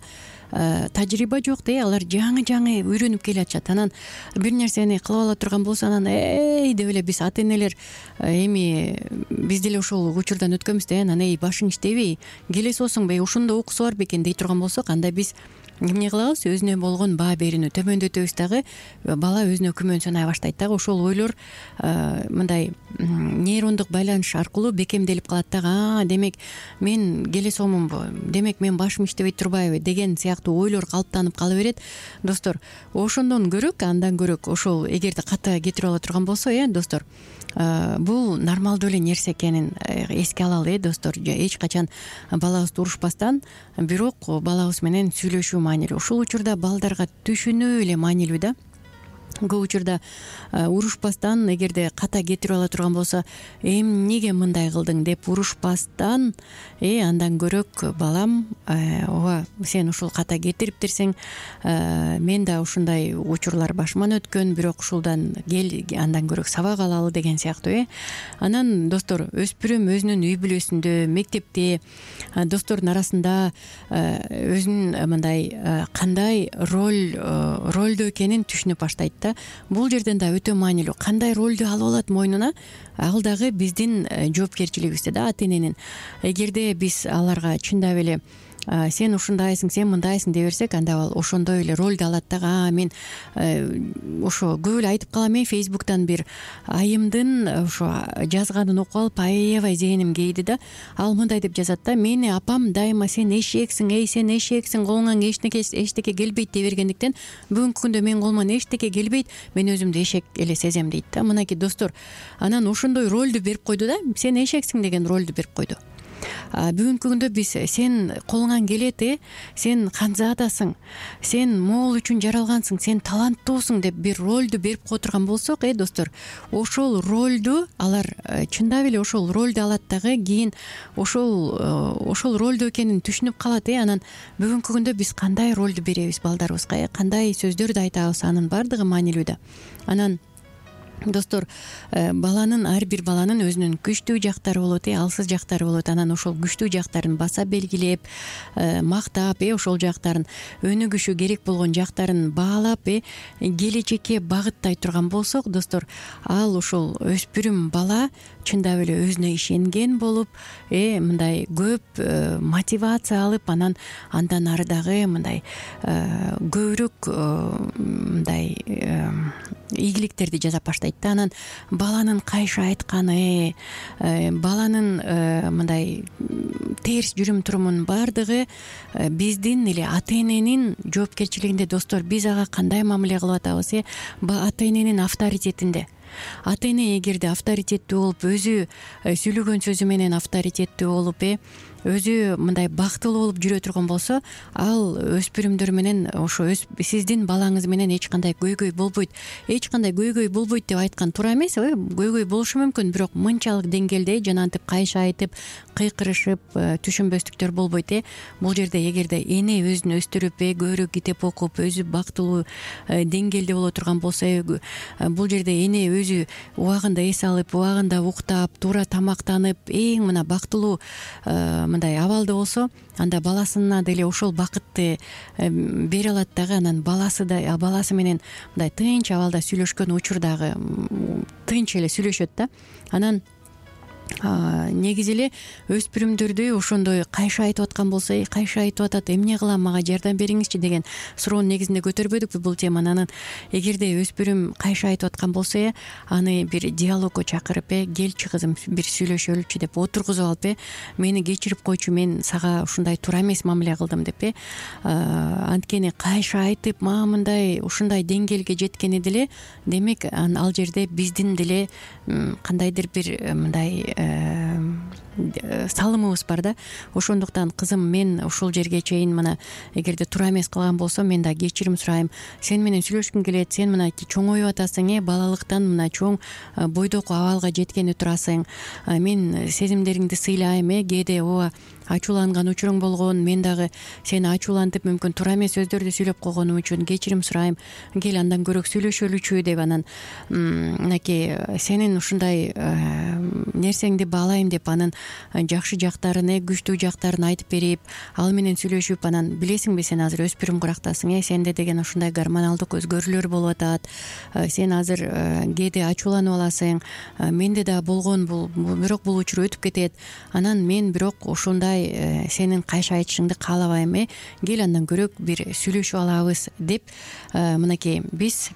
тажрыйба жок да, алар жаңы үйрөнүп келатышат. Анан бир нерсени кылып ала турган болсо, анан деп эле биз ата энелер эми биз деле ушул учурдан өткөнбүз да. Анан башың иштебей, келесиосуңбу, ушундо укуусу бар бекен дей турган болсок, анда биз эмне кылабыз? Өзүнө болгон баа берүүнү төмөндөтөбүз дагы. Бала өзүнө күмөн санай баштайт дагы. Ошол ойлор мындай нейрондук байланыш аркылуу бекемделип калат дагы. Демек мен келесиомунбу? Демек мен башым иштебей турбайбы? Деген сыяктуу ойлор калыптанып кала берет. Достор, ошондон көрөк, андан көрөк ошол эгерде ката кетирип ала турган болсо, достор, бул нормалдуу эле нерсе экенин эске алалы, достор. Эч качан балабызды урушпастан, бирок балабыз менен сүйлөшүү маанилүү. Ушул учурда балдарга түшүнүү эле маанилүү да. Көп учурда урушпастан, эгерде ката кетирип ала турган болсо, эмнеге мындай кылдың деп урушпастан, андан көрөк балам, ооба сен ушул ката кетириптирсиң, мен да ушундай учурлар башыман өткөн, бирок ушулдан кел, андан көрөк сабак алалы деген сыяктуу. Анан достор, өспүрүм өзүнүн үй бүлөсүндө, мектепте, достордун арасында өзүнүн мындай кандай ролдо экенин түшүнүп баштайт да. Бул жерден да өтө маанилүү. Кандай ролду алып алат мойнуна? Ал дагы биздин жоопкерчилигибизде да, ата эненин. Эгерде биз аларга чындап эле сен ушундайсың, сен мындайсың деп берсек, анда ал ошондой эле ролду алат дагы. Мен ошо көп эле айтып калам, Facebook'тан бир айымдын ошо жазганын окуп алып аябай зээним кейди да. Ал мындай деп жазат да: мени апам дайыма сен эшексиң, сен эшексиң, колуңан эчтеке келбейт дей бергендиктен бүгүнкү күндө менин колуман эчтеке келбейт, мен өзүмдү эшек эле сезем дейт да. Мынакей достор, анан ошондой ролду берип койду да, сен эшексиң деген ролду берип койду. Бүгүнкү күндө биз сен колуңан келет, сен ханзадасың, сен могул үчүн жаралгансың, сен таланттуусуң деп бир ролду берип кое турган болсок, достор, ошол ролду алар чындап эле ошол ролду алат дагы, кийин ошол ролду экенин түшүнүп калат. Анан бүгүнкү күндө биз кандай ролду беребиз балдарыбызга, кандай сөздөрдү айтабыз, анын баардыгы маанилүү да. Анан достор, ар бир баланын өзүнүн күчтүү жактары болот, алсыз жактары болот. Анан ошол күчтүү жактарын баса белгилеп, мактап, ошол жактарын, өнүгүшү керек болгон жактарын баалап, келечекке багыттай турган болсок, достор, ал ошол өспүрүм бала чындап эле өзүнө ишенген болуп, мындай көп мотивация алып, андан ары дагы мындай көбүрөөк мындай ийгиликтерди жасап баштайт да. Анан баланын кайшы айтканы, баланын мындай терс жүрүм турумунун баардыгы биздин эле ата эненин жоопкерчилигинде. Достор, биз ага кандай мамиле кылып атабыз? Ата эненин авторитетинде. Ата эне эгерде авторитеттүү болуп, өзү сүйлөгөн сөзү менен авторитеттүү болуп, өзү мындай бактылуу болуп жүрө турган болсо, ал өспүрүмдөр менен ошо сиздин балаңыз менен эч кандай көйгөй болбойт. Эч кандай көйгөй болбойт деп айткан туура эмес, көйгөй болушу мүмкүн, бирок мынчалык деңгээлде жанагынтип кайшы айтып, кыйкырышып, түшүнбөстүктөр болбойт. Бул жерде эгерде эне өзүн өстүрүп, көбүрөөк китеп окуп, өзү бактылуу деңгээлде боло турган болсо, бул жерде эне өзү убагында эс алып, убагында уктап, туура тамактанып, эң мына бактылуу мындай абалда болсо, анда баласына деле ошол бакытты бере алат дагы. Анан баласы менен мындай тынч абалда сүйлөшкөн учурдагы тынч эле сүйлөшөт да. Анан негизи эле өспүрүмдөрдү ошондой кайшы айтып аткан болсо, кайшы айтып атат, эмне кылам, мага жардам бериңизчи деген суроонун негизинде көтөрбөдүкпү бул теманы. Анан эгерде өспүрүм кайшы айтып аткан болсо, аны бир диалогко чакырып, келчи кызым бир сүйлөшөлүчү деп отургузуп алып, мени кечирип койчу, мен сага ушундай туура эмес мамиле кылдым деп, анткени кайшы айтып мага мындай ушундай деңгээлге жеткени деле, демек ал жерде биздин деле кандайдыр бир мындай салымыбыз бар да. Ошондуктан кызым, мен ушул жерге чейин мына эгерде туура эмес кылган болсом, мен да кечирим сурайм. Сен менен сүйлөшкүң келет, сен мына чоңоюп атасың, балалыктан мына чоң бойдоку абалга жеткени турасың. Мен сезимдериңди сыйлайм, кээде ооба ачууланган учуруң болгон, мен дагы сени ачуулантып, мүмкүн туура эмес сөздөрдү сүйлөп койгонум үчүн кечирим сурайм. Кел андан көрөк сүйлөшөлүчү деп, анан мынакей сенин ушундай нерсеңди баалайм деп, анын жакшы жактарын, күчтүү жактарын айтып берип, ал менен сүйлөшүп, анан билесиңби, сен азыр өспүрүм курактасың, сенде деген ушундай гормоналдык өзгөрүүлөр болуп атат, сен азыр кээде ачууланып аласың, менде да болгон бул, бирок бул учур өтүп кетет. Анан мен бирок ушундай сенин кайшы айтышыңды каалабайм, кел андан көрөк бир сүйлөшүп алабыз деп, мынакей биз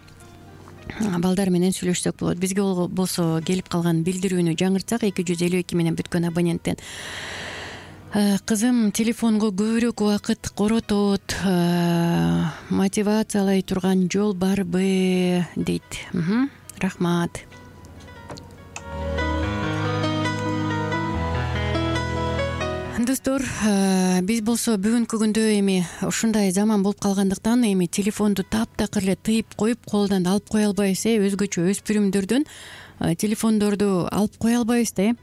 балдар менен сүйлөшсөк болот. Бизге болсо келип калган билдирүүнү жаңыртсак, 252 менен бүткөн абоненттен: кызым телефонго көбүрөөк убакыт коротот, мотивациялай турган жол барбы дейт. Рахмат. Достор, биз болсо бүгүнкү күндө эми ушундай заман болуп калгандыктан эми телефонду таптакыр эле тыйып коюп, колдон алып кое албайбыз. Өзгөчө өспүрүмдөрдөн телефондорду алып кое албайбыз да.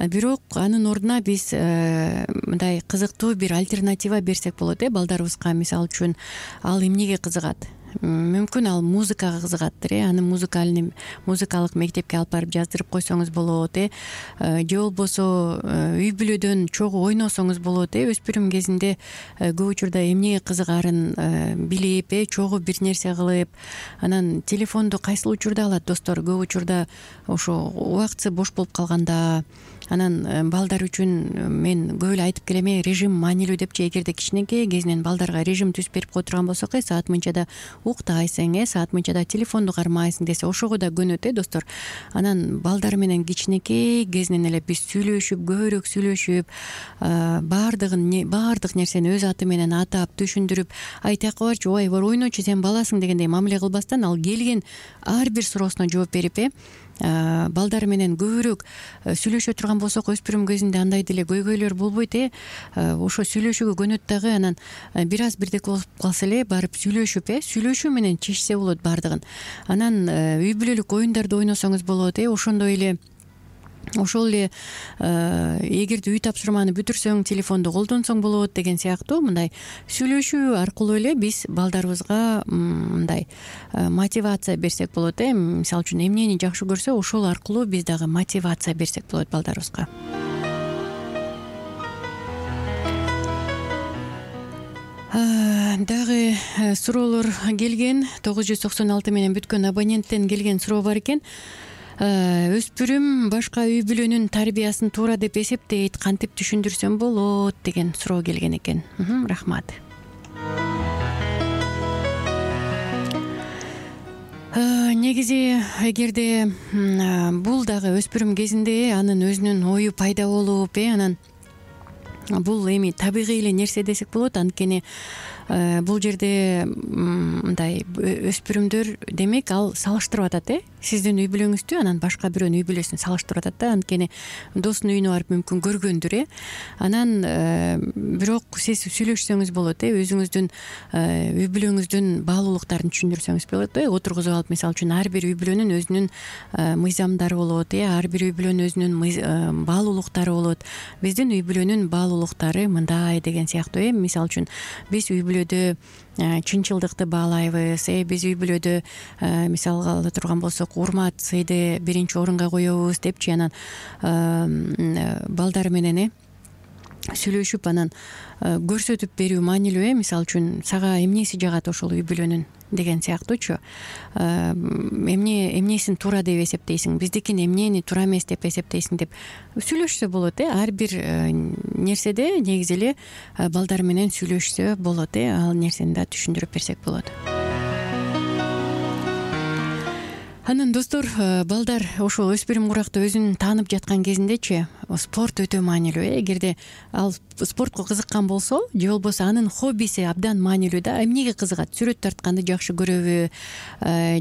Бирок анын ордуна биз мындай кызыктуу бир альтернатива берсек болот балдарыбызга. Мисалы үчүн, ал эмнеге кызыгат? мүмкүн ал музыкага кызыгаттыр, аны музыкалык мектепке алып барып жаздырып койсоңуз болот, же болбосо үй бүлөдөн чогуу ойносоңуз болот. Өспүрүм кезинде көп учурда эмнеге кызыгарын билип, чогуу бир нерсе кылып, анан телефонду кайсыл учурда алат достор? Көп учурда ошо убактысы бош болуп калганда. Анан балдар үчүн мен көп эле айтып келем, режим маанилүү депчи. Эгерде кичинекей кезинен балдарга режим түзүп берип кое турган болсок, саат мынчада уктайсың, саат мынчада телефонду кармайсың десе, ошого да көнөт достор. Анан балдар менен кичинекей кезинен эле биз сүйлөшүп, көбүрөөк сүйлөшүп, баардык нерсени өз аты менен атап, түшүндүрүп, ай тияка барчы, ой бар ойночу, сен баласың дегендей мамиле кылбастан, ал келген ар бир суроосуна жооп берип, балдар менен көбүрөөк сүйлөшө турган болсок, өспүрүм кезинде андай деле көйгөйлөр болбойт. Ошо сүйлөшүүгө көнөт дагы, анан бир аз бирдек болуп калса эле барып сүйлөшүп, сүйлөшүү менен чечсе болот баардыгын. Анан үй бүлөлүк оюндарды ойносоңуз болот, ошондой эле эгерде үй тапшырманы бүтүрсөң, телефонду колдонсоң болот деген сыяктуу мындай сүйлөшүү аркылуу эле биз балдарыбызга мындай мотивация берсек болот. Мисалы үчүн эмнени жакшы көрсө, ошол аркылуу биз дагы мотивация берсек болот балдарыбызга. Дагы суроолор келген. 996 менен бүткөн абоненттен келген суроо бар экен. Өспүрүм башка үй бүлөнүн тарбиясын туура деп эсептейт, кантип түшүндүрсөм болот деген суроо келген экен. Рахмат. Негизи эгерде бул дагы өспүрүм кезинде анын өзүнүн ою пайда болуп, анан бул эми табигый эле нерсе десек болот. Анткени бул жерде мындай өспүрүмдөр демек ал салыштырып атат, сиздин үй бүлөңүздү анан башка бирөөнүн үй бүлөсүн салыштырып атат да. Анткени досунун үйүнө барып мүмкүн көргөндүр, анан бирок сиз сүйлөшсөңүз болот, өзүңүздүн үй бүлөңүздүн баалуулуктарын түшүндүрсөңүз болот. Отургузуп алып, мисалы үчүн ар бир үй бүлөнүн өзүнүн мыйзамдары болот, ар бир үй бүлөнүн өзүнүн баалуулуктары болот. Биздин үй бүлөнүн баалуулуктары мындай деген сыяктуу. Мисалы үчүн биз үй бүлөдө чынчылдыкты баалайбыз, биз үй бүлөдө мисалга ала турган болсок, урмат, сыйды биринчи орунга коебуз депчи. Анан балдар менен сүйлөшүп, анан көрсөтүп берүү маанилүү. Мисалы үчүн сага эмнеси жагат ошол үй бүлөнүн деген сыяктуучу. Эмнесин туура деп эсептейсиң, биздикин эмнени туура эмес деп эсептейсиң деп сүйлөшсө болот. Ар бир нерседе негизи эле балдар менен сүйлөшсө болот. Ал нерсени да түшүндүрүп берсек болот. Анан достор, балдар ошол өспүрүм куракта өзүн таанып жаткан кезиндечи спорт өтө маанилүү. Эгерде ал спортко кызыккан болсо, же болбосо анын хоббиси абдан маанилүү да. Эмнеге кызыгат? Сүрөт тартканды жакшы көрөбү,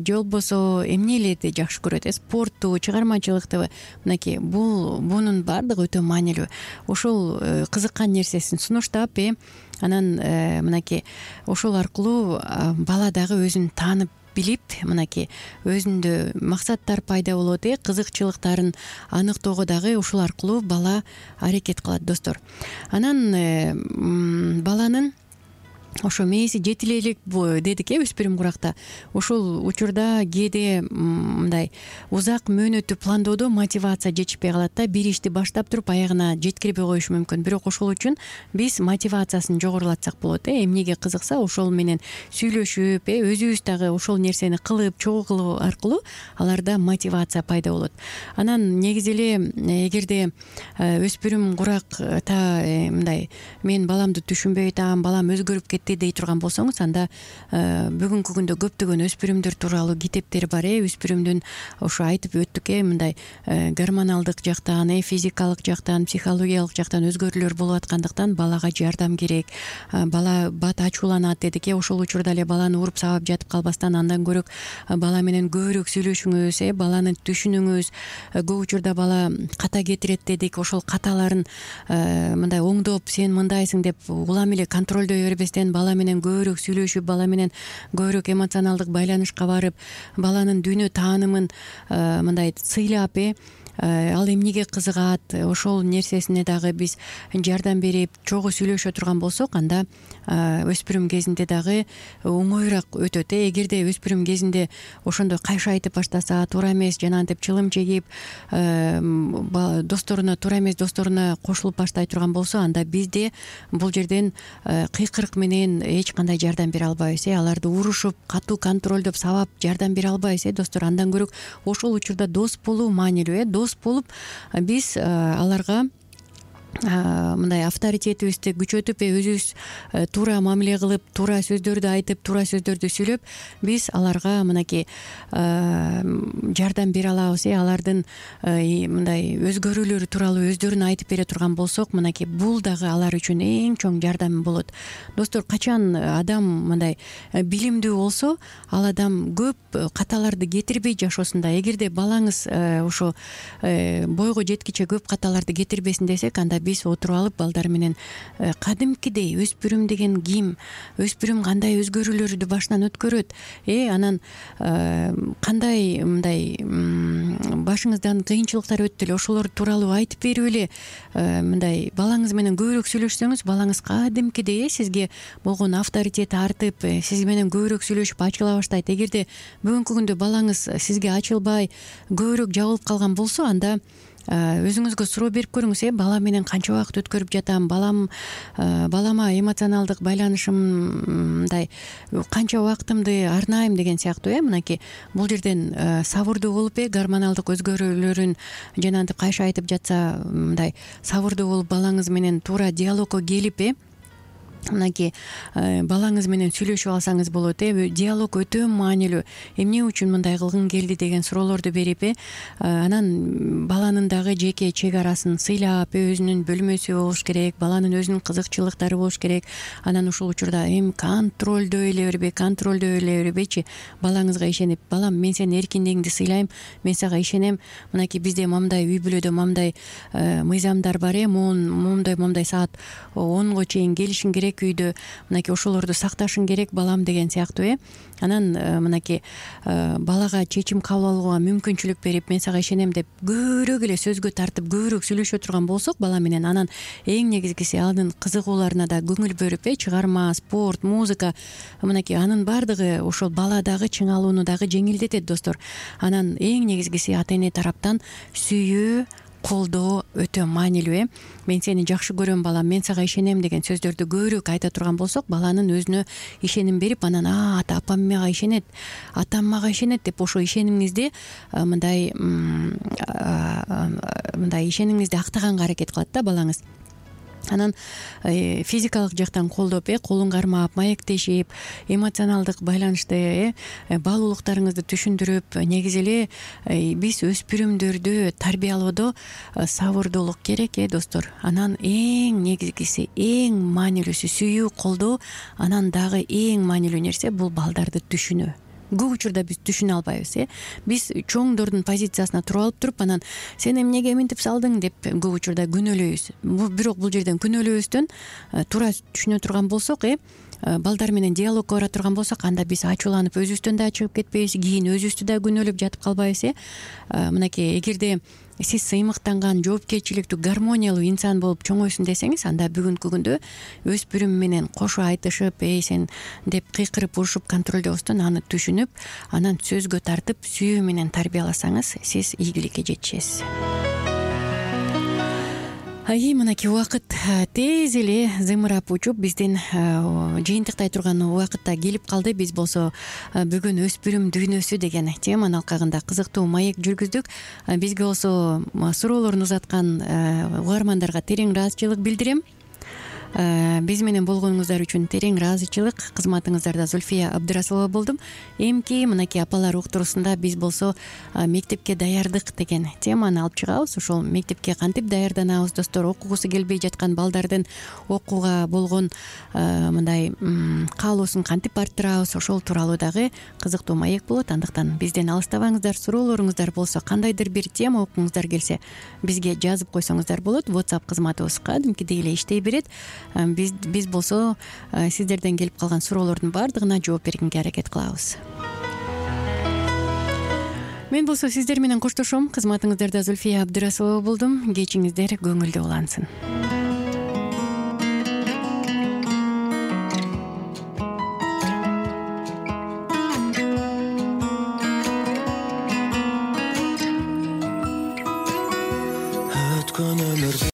же болбосо эмнелерди жакшы көрөт? Спортту, чыгармачылыкты. Мынакей бунун баардыгы өтө маанилүү. Ошол кызыккан нерсесин сунуштап, анан мынакей ошол аркылуу бала дагы өзүн таанып билип, мынакей өзүндө максаттар пайда болот, кызыкчылыктарын аныктоого дагы ошол аркылуу бала аракет кылат достор. Анан баланын ошо мээси жетиле элек дедик, өспүрүм куракта. Ошол учурда кээде мындай узак мөөнөттүү пландоодо мотивация жетишпей калат да. Бир ишти баштап туруп аягына жеткирбей коюшу мүмкүн. Бирок ошол үчүн биз мотивациясын жогорулатсак болот. Эмнеге кызыкса ошол менен сүйлөшүп, өзүбүз дагы ошол нерсени кылып, чогуу кылуу аркылуу аларда мотивация пайда болот. Анан негизи эле эгерде өспүрүм куракта мындай мен баламды түшүнбөй атам, балам өзгөрүп кетти дей турган болсоңуз, анда бүгүнкү күндө көптөгөн өспүрүмдөр тууралуу китептер бар. Өспүрүмдүн ошо айтып өттүк, мындай гормоналдык жактан, физикалык жактан, психологиялык жактан өзгөрүүлөр болуп аткандыктан балага жардам керек. Бала бат ачууланат дедик, ошол учурда эле баланы уруп сабап жатып калбастан, андан көрөк бала менен көбүрөөк сүйлөшүңүз, баланы түшүнүңүз. Көп учурда бала ката кетирет дедик, ошол каталарын мындай оңдоп, сен мындайсың деп улам эле контролдой бербестен бала менен көбүрөөк сүйлөшүп, бала менен көбүрөөк эмоционалдык байланышка барып, баланын дүйнө таанымын мындай сыйлап, ал эмнеге кызыгат, ошол нерсесине дагы биз жардам берип чогуу сүйлөшө турган болсок, анда өспүрүм кезинде дагы оңоюраак өтөт. Эгерде өспүрүм кезинде ошондой кайшы айтып баштаса, туура эмес жанагынтип чылым чегип, досторуна туура эмес досторуна кошулуп баштай турган болсо, анда бизде бул жерден кыйкырык менен эч кандай жардам бере албайбыз. Аларды урушуп, катуу контролдоп, сабап жардам бере албайбыз. Достор, андан көрө ошол учурда дос болуу маанилүү. Дос болуп биз аларга мындай авторитетибизди күчөтүп, өзүбүз туура мамиле кылып, туура сөздөрдү айтып, туура сөздөрдү сүйлөп, биз аларга мынакей жардам бере алабыз. Алардын мындай өзгөрүүлөрү тууралуу өздөрүн айтып бере турган болсок, мынакей бул дагы алар үчүн эң чоң жардам болот. Достор, качан адам мындай билимдүү болсо, ал адам көп каталарды кетирбей жашоосунда. Эгерде балаңыз ошо бойго жеткиче көп каталарды кетирбесин десек, анда биз отуруп алып балдар менен кадимкидей өспүрүм деген ким, өспүрүм кандай өзгөрүүлөрдү башынан өткөрөт, анан кандай мындай башыңыздан кыйынчылыктар өттү эле, ошолор тууралуу айтып берип эле мындай балаңыз менен көбүрөөк сүйлөшсөңүз, балаңыз кадимкидей сизге болгон авторитети артып, сиз менен көбүрөөк сүйлөшүп ачыла баштайт. Эгерде бүгүнкү күндө балаңыз сизге ачылбай көбүрөөк жабылып калган болсо, анда өзүңүзгө суроо берип көрүңүз. Бала менен канча убакыт өткөрүп жатам, балама эмоционалдык байланышым мындай канча убактымды арнайм деген сыяктуу. Мынакей бул жерден сабырдуу болуп, гормоналдык өзгөрүүлөрүн жанагынтип кайшы айтып жатса, мындай сабырдуу болуп балаңыз менен туура диалогко келип, мынакей балаңыз менен сүйлөшүп алсаңыз болот. Диалог өтө маанилүү. Эмне үчүн мындай кылгың келди деген суроолорду берип, анан баланын дагы жеке чек арасын сыйлап, өзүнүн бөлмөсү болуш керек, баланын өзүнүн кызыкчылыктары болуш керек. Анан ушул учурда контролдой эле бербейчи, балаңызга ишенип, балам, мен сенин эркиндигиңди сыйлайм, мен сага ишенем. Мынакей бизде момундай үй бүлөдө момундай мыйзамдар бар. Момундай саат 10го чейин келишиң керек үйдө, мынакей ошолорду сакташың керек балам деген сыяктуу. Анан мынакей балага чечим кабыл алууга мүмкүнчүлүк берип, мен сага ишенем деп көбүрөөк эле сөзгө тартып, көбүрөөк сүйлөшө турган болсок бала менен, анан эң негизгиси анын кызыгууларына да көңүл бөлүп, чыгарма, спорт, музыка, мынакей анын баардыгы ошол баладагы чыңалууну дагы жеңилдетет. Достор, анан эң негизгиси ата эне тараптан сүйүү, колдоо өтө маанилүү. Мен сени жакшы көрөм балам, мен сага ишенем деген сөздөрдү көбүрөөк айта турган болсок, баланын өзүнө ишеним берип, анан апам мага ишенет, атам мага ишенет деп ошо ишенимиңизди мындай ишенимиңизди актаганга аракет кылат да балаңыз. Анан физикалык жактан колдоп, колун кармап, маектешип, эмоционалдык байланышты, баалуулуктарыңызды түшүндүрүп, негизи эле биз өспүрүмдөрдү тарбиялоодо сабырдуулук керек, достор. Анан эң негизгиси, эң маанилүүсү сүйүү, колдоо. Анан дагы эң маанилүү нерсе бул балдарды түшүнүү. Көп учурда биз түшүнө албайбыз. Биз чоңдордун позициясына туруп алып туруп, анан сен эмнеге мынтип салдың деп көп учурда күнөөлөйбүз. Бирок бул жерден күнөөлөөбүздөн туура түшүнө турган болсок, балдар менен диалогко бара турган болсок, анда биз ачууланып өзүбүздөн да чыгып кетпейбиз, кийин өзүбүздү да күнөөлөп жатып калбайбыз. Мынакей эгерде сиз сыймыктанган, жоопкерчиликтүү, гармониялуу инсан болуп чоңойсун десеңиз, анда бүгүнкү күндө өспүрүм менен кошо айтышып, сен деп кыйкырып урушуп контролдобостон аны түшүнүп, анан сөзгө тартып, сүйүү менен тарбияласаңыз, сиз ийгиликке жетишесиз. Мынакей убакыт тез эле зымырап учуп, биздин жыйынтыктай турган убакытта келип калды. Биз болсо бүгүн өспүрүм дүйнөсү деген теманын алкагында кызыктуу маек жүргүздүк. Бизге болсо суроолорун узаткан угармандарга терең ыраазычылык билдирем. Биз менен болгонуңуздар үчүн терең ыраазычылык. Кызматыңыздарда Зульфия Абдрасулова болдум. Эмки мынакей апалар уктуруусунда биз болсо мектепке даярдык деген теманы алып чыгабыз. Ошол мектепке кантип даярданабыз, достор, окугусу келбей жаткан балдардын окууга болгон мындай каалоосун кантип арттырабыз, ошол тууралуу дагы кызыктуу маек болот. Андыктан бизден алыстабаңыздар. Суроолоруңуздар болсо, кандайдыр бир тема окуңуздар келсе, бизге жазып койсоңуздар болот. WhatsApp кызматыбыз кадимкидей эле иштей берет. Биз болсо сиздерден келип калган суроолордун баардыгына жооп бергенге аракет кылабыз. Мен болсо сиздер менен коштошом. Кызматыңыздарда Зульфия Абдрасулова болдум. Кечиңиздер көңүлдүү улансын.